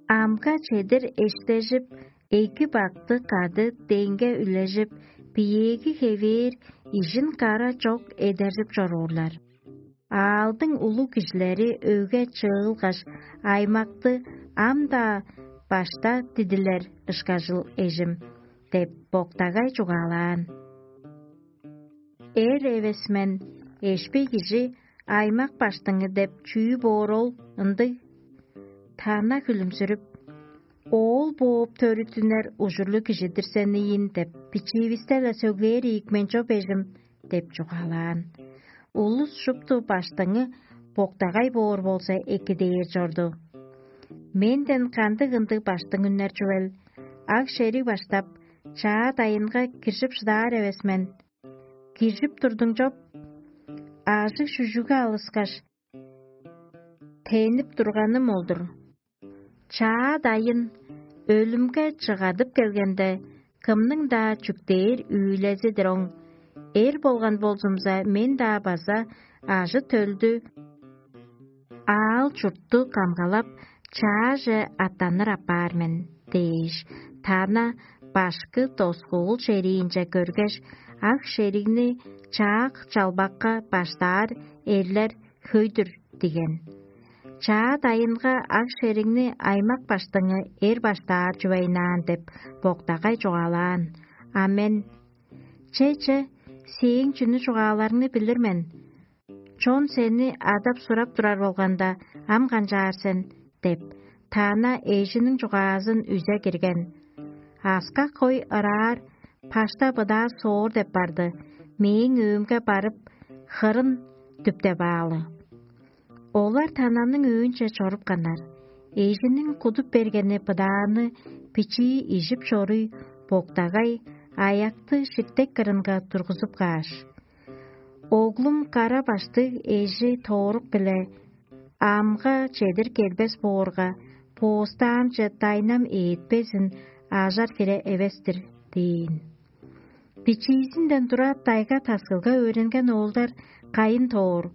Амга чедир эштежип, эки бакты кады деңге үлежип, биеэги хевээр ижин кара чок эдержип чоруурлар. Аалдың улуг кижилери өге чыылгаш, аймакты ам-даа башта дидилер ышкажыл, эжим, деп, боктагай чугаалаан. Эр эвес мен, эшпей кижи аймак баштыңы деп чүү боор ол ындыг? Тана хүлүмзүрүп: «Оол бооп төрүттүнер ужурлуг кижи-дир сен ийин деп, бичиивисте-ле сөглээр ийик мен чоп, эжим» – деп чугаалаан. Улус шупту баштыңы боктагай боор болза эки дээр чорду. Менден кандыг ындыг баштың үннер чүвел? Аг шериг баштап, чаа дайынга киржип шыдаар эвес мен. Киржип турдуң чоп, аажыг шүжүгү алыскаш, тенип турганым ол-дур. Чаа дайын өлүмге чыгадып келгенде, кымның-даа чүктээр үүлези-дир оң. Эр болган болзумза, мен-даа база ажы-төлдү, аал-чуртту камгалап, чааже аттаныр апаар мен дээш, Тана башкы доскуул шериинче көргеш, ак шеригни чаак чалбакка баштаар эрлер хөй-дүр диген. Чаа дайынга ак шеригни аймак баштыңы эр баштаар чүвейнаан деп боктагай чугаалаан. А мен: «Че-че, сээң чүнү чугааларыңны билир мен. Чон сени адап-сурап турар болганда, ам канчаар сен?» — деп, Тана эжиниң чугаазын үзе кирген. Аскак хой ыраар, пашта быдаа соор деп барды, мээң өөмге барып, хырын дүптеп аалы. Олар Тананың өөнче чорупканнар. Эжиниң кудуп бергени быдааны бичии ижип чоруй, боктагай аякты ширтек кырынга тургузуп кааш: «Оглум кара баштыг эжи тоорук-биле амга чедир келбес боорга, боостаамче дайнам ээдпезин ажар хире эвес-тир» — дээн. Бичиизинден тура дайга-таскылга өөренген оолдар кайын тоор,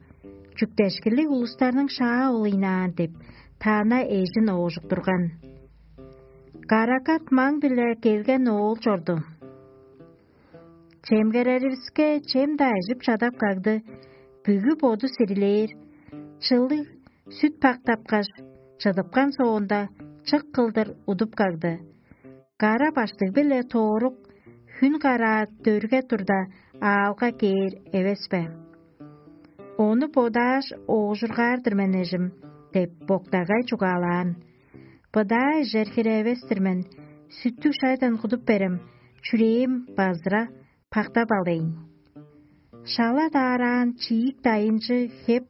чүктешкилиг улустарның шаа ол ыйнаан деп, Тана эжин оожуктурган. Каракат маң-биле келген оол чорду. Чемгереривиске чем-даа ижип чадап кагды, бүгү боду сирилээр, чылыг сүт пактапкаш, чыдыпкан соонда, чык кылдыр удуп кагды. Кара баштыг-биле тоорук хүн караа дөрге турда, аалга кээр эвес бе? Ону бодааш, оожургаар-дыр мен, эжим» — деп боктагай чугаалаан. «Быдаа ижер хире эвес-тир мен, сүттүг шайдан кудуп берем, чүрээм базыра, пактап алыйн». Шала даараан чиик дайынчы хеп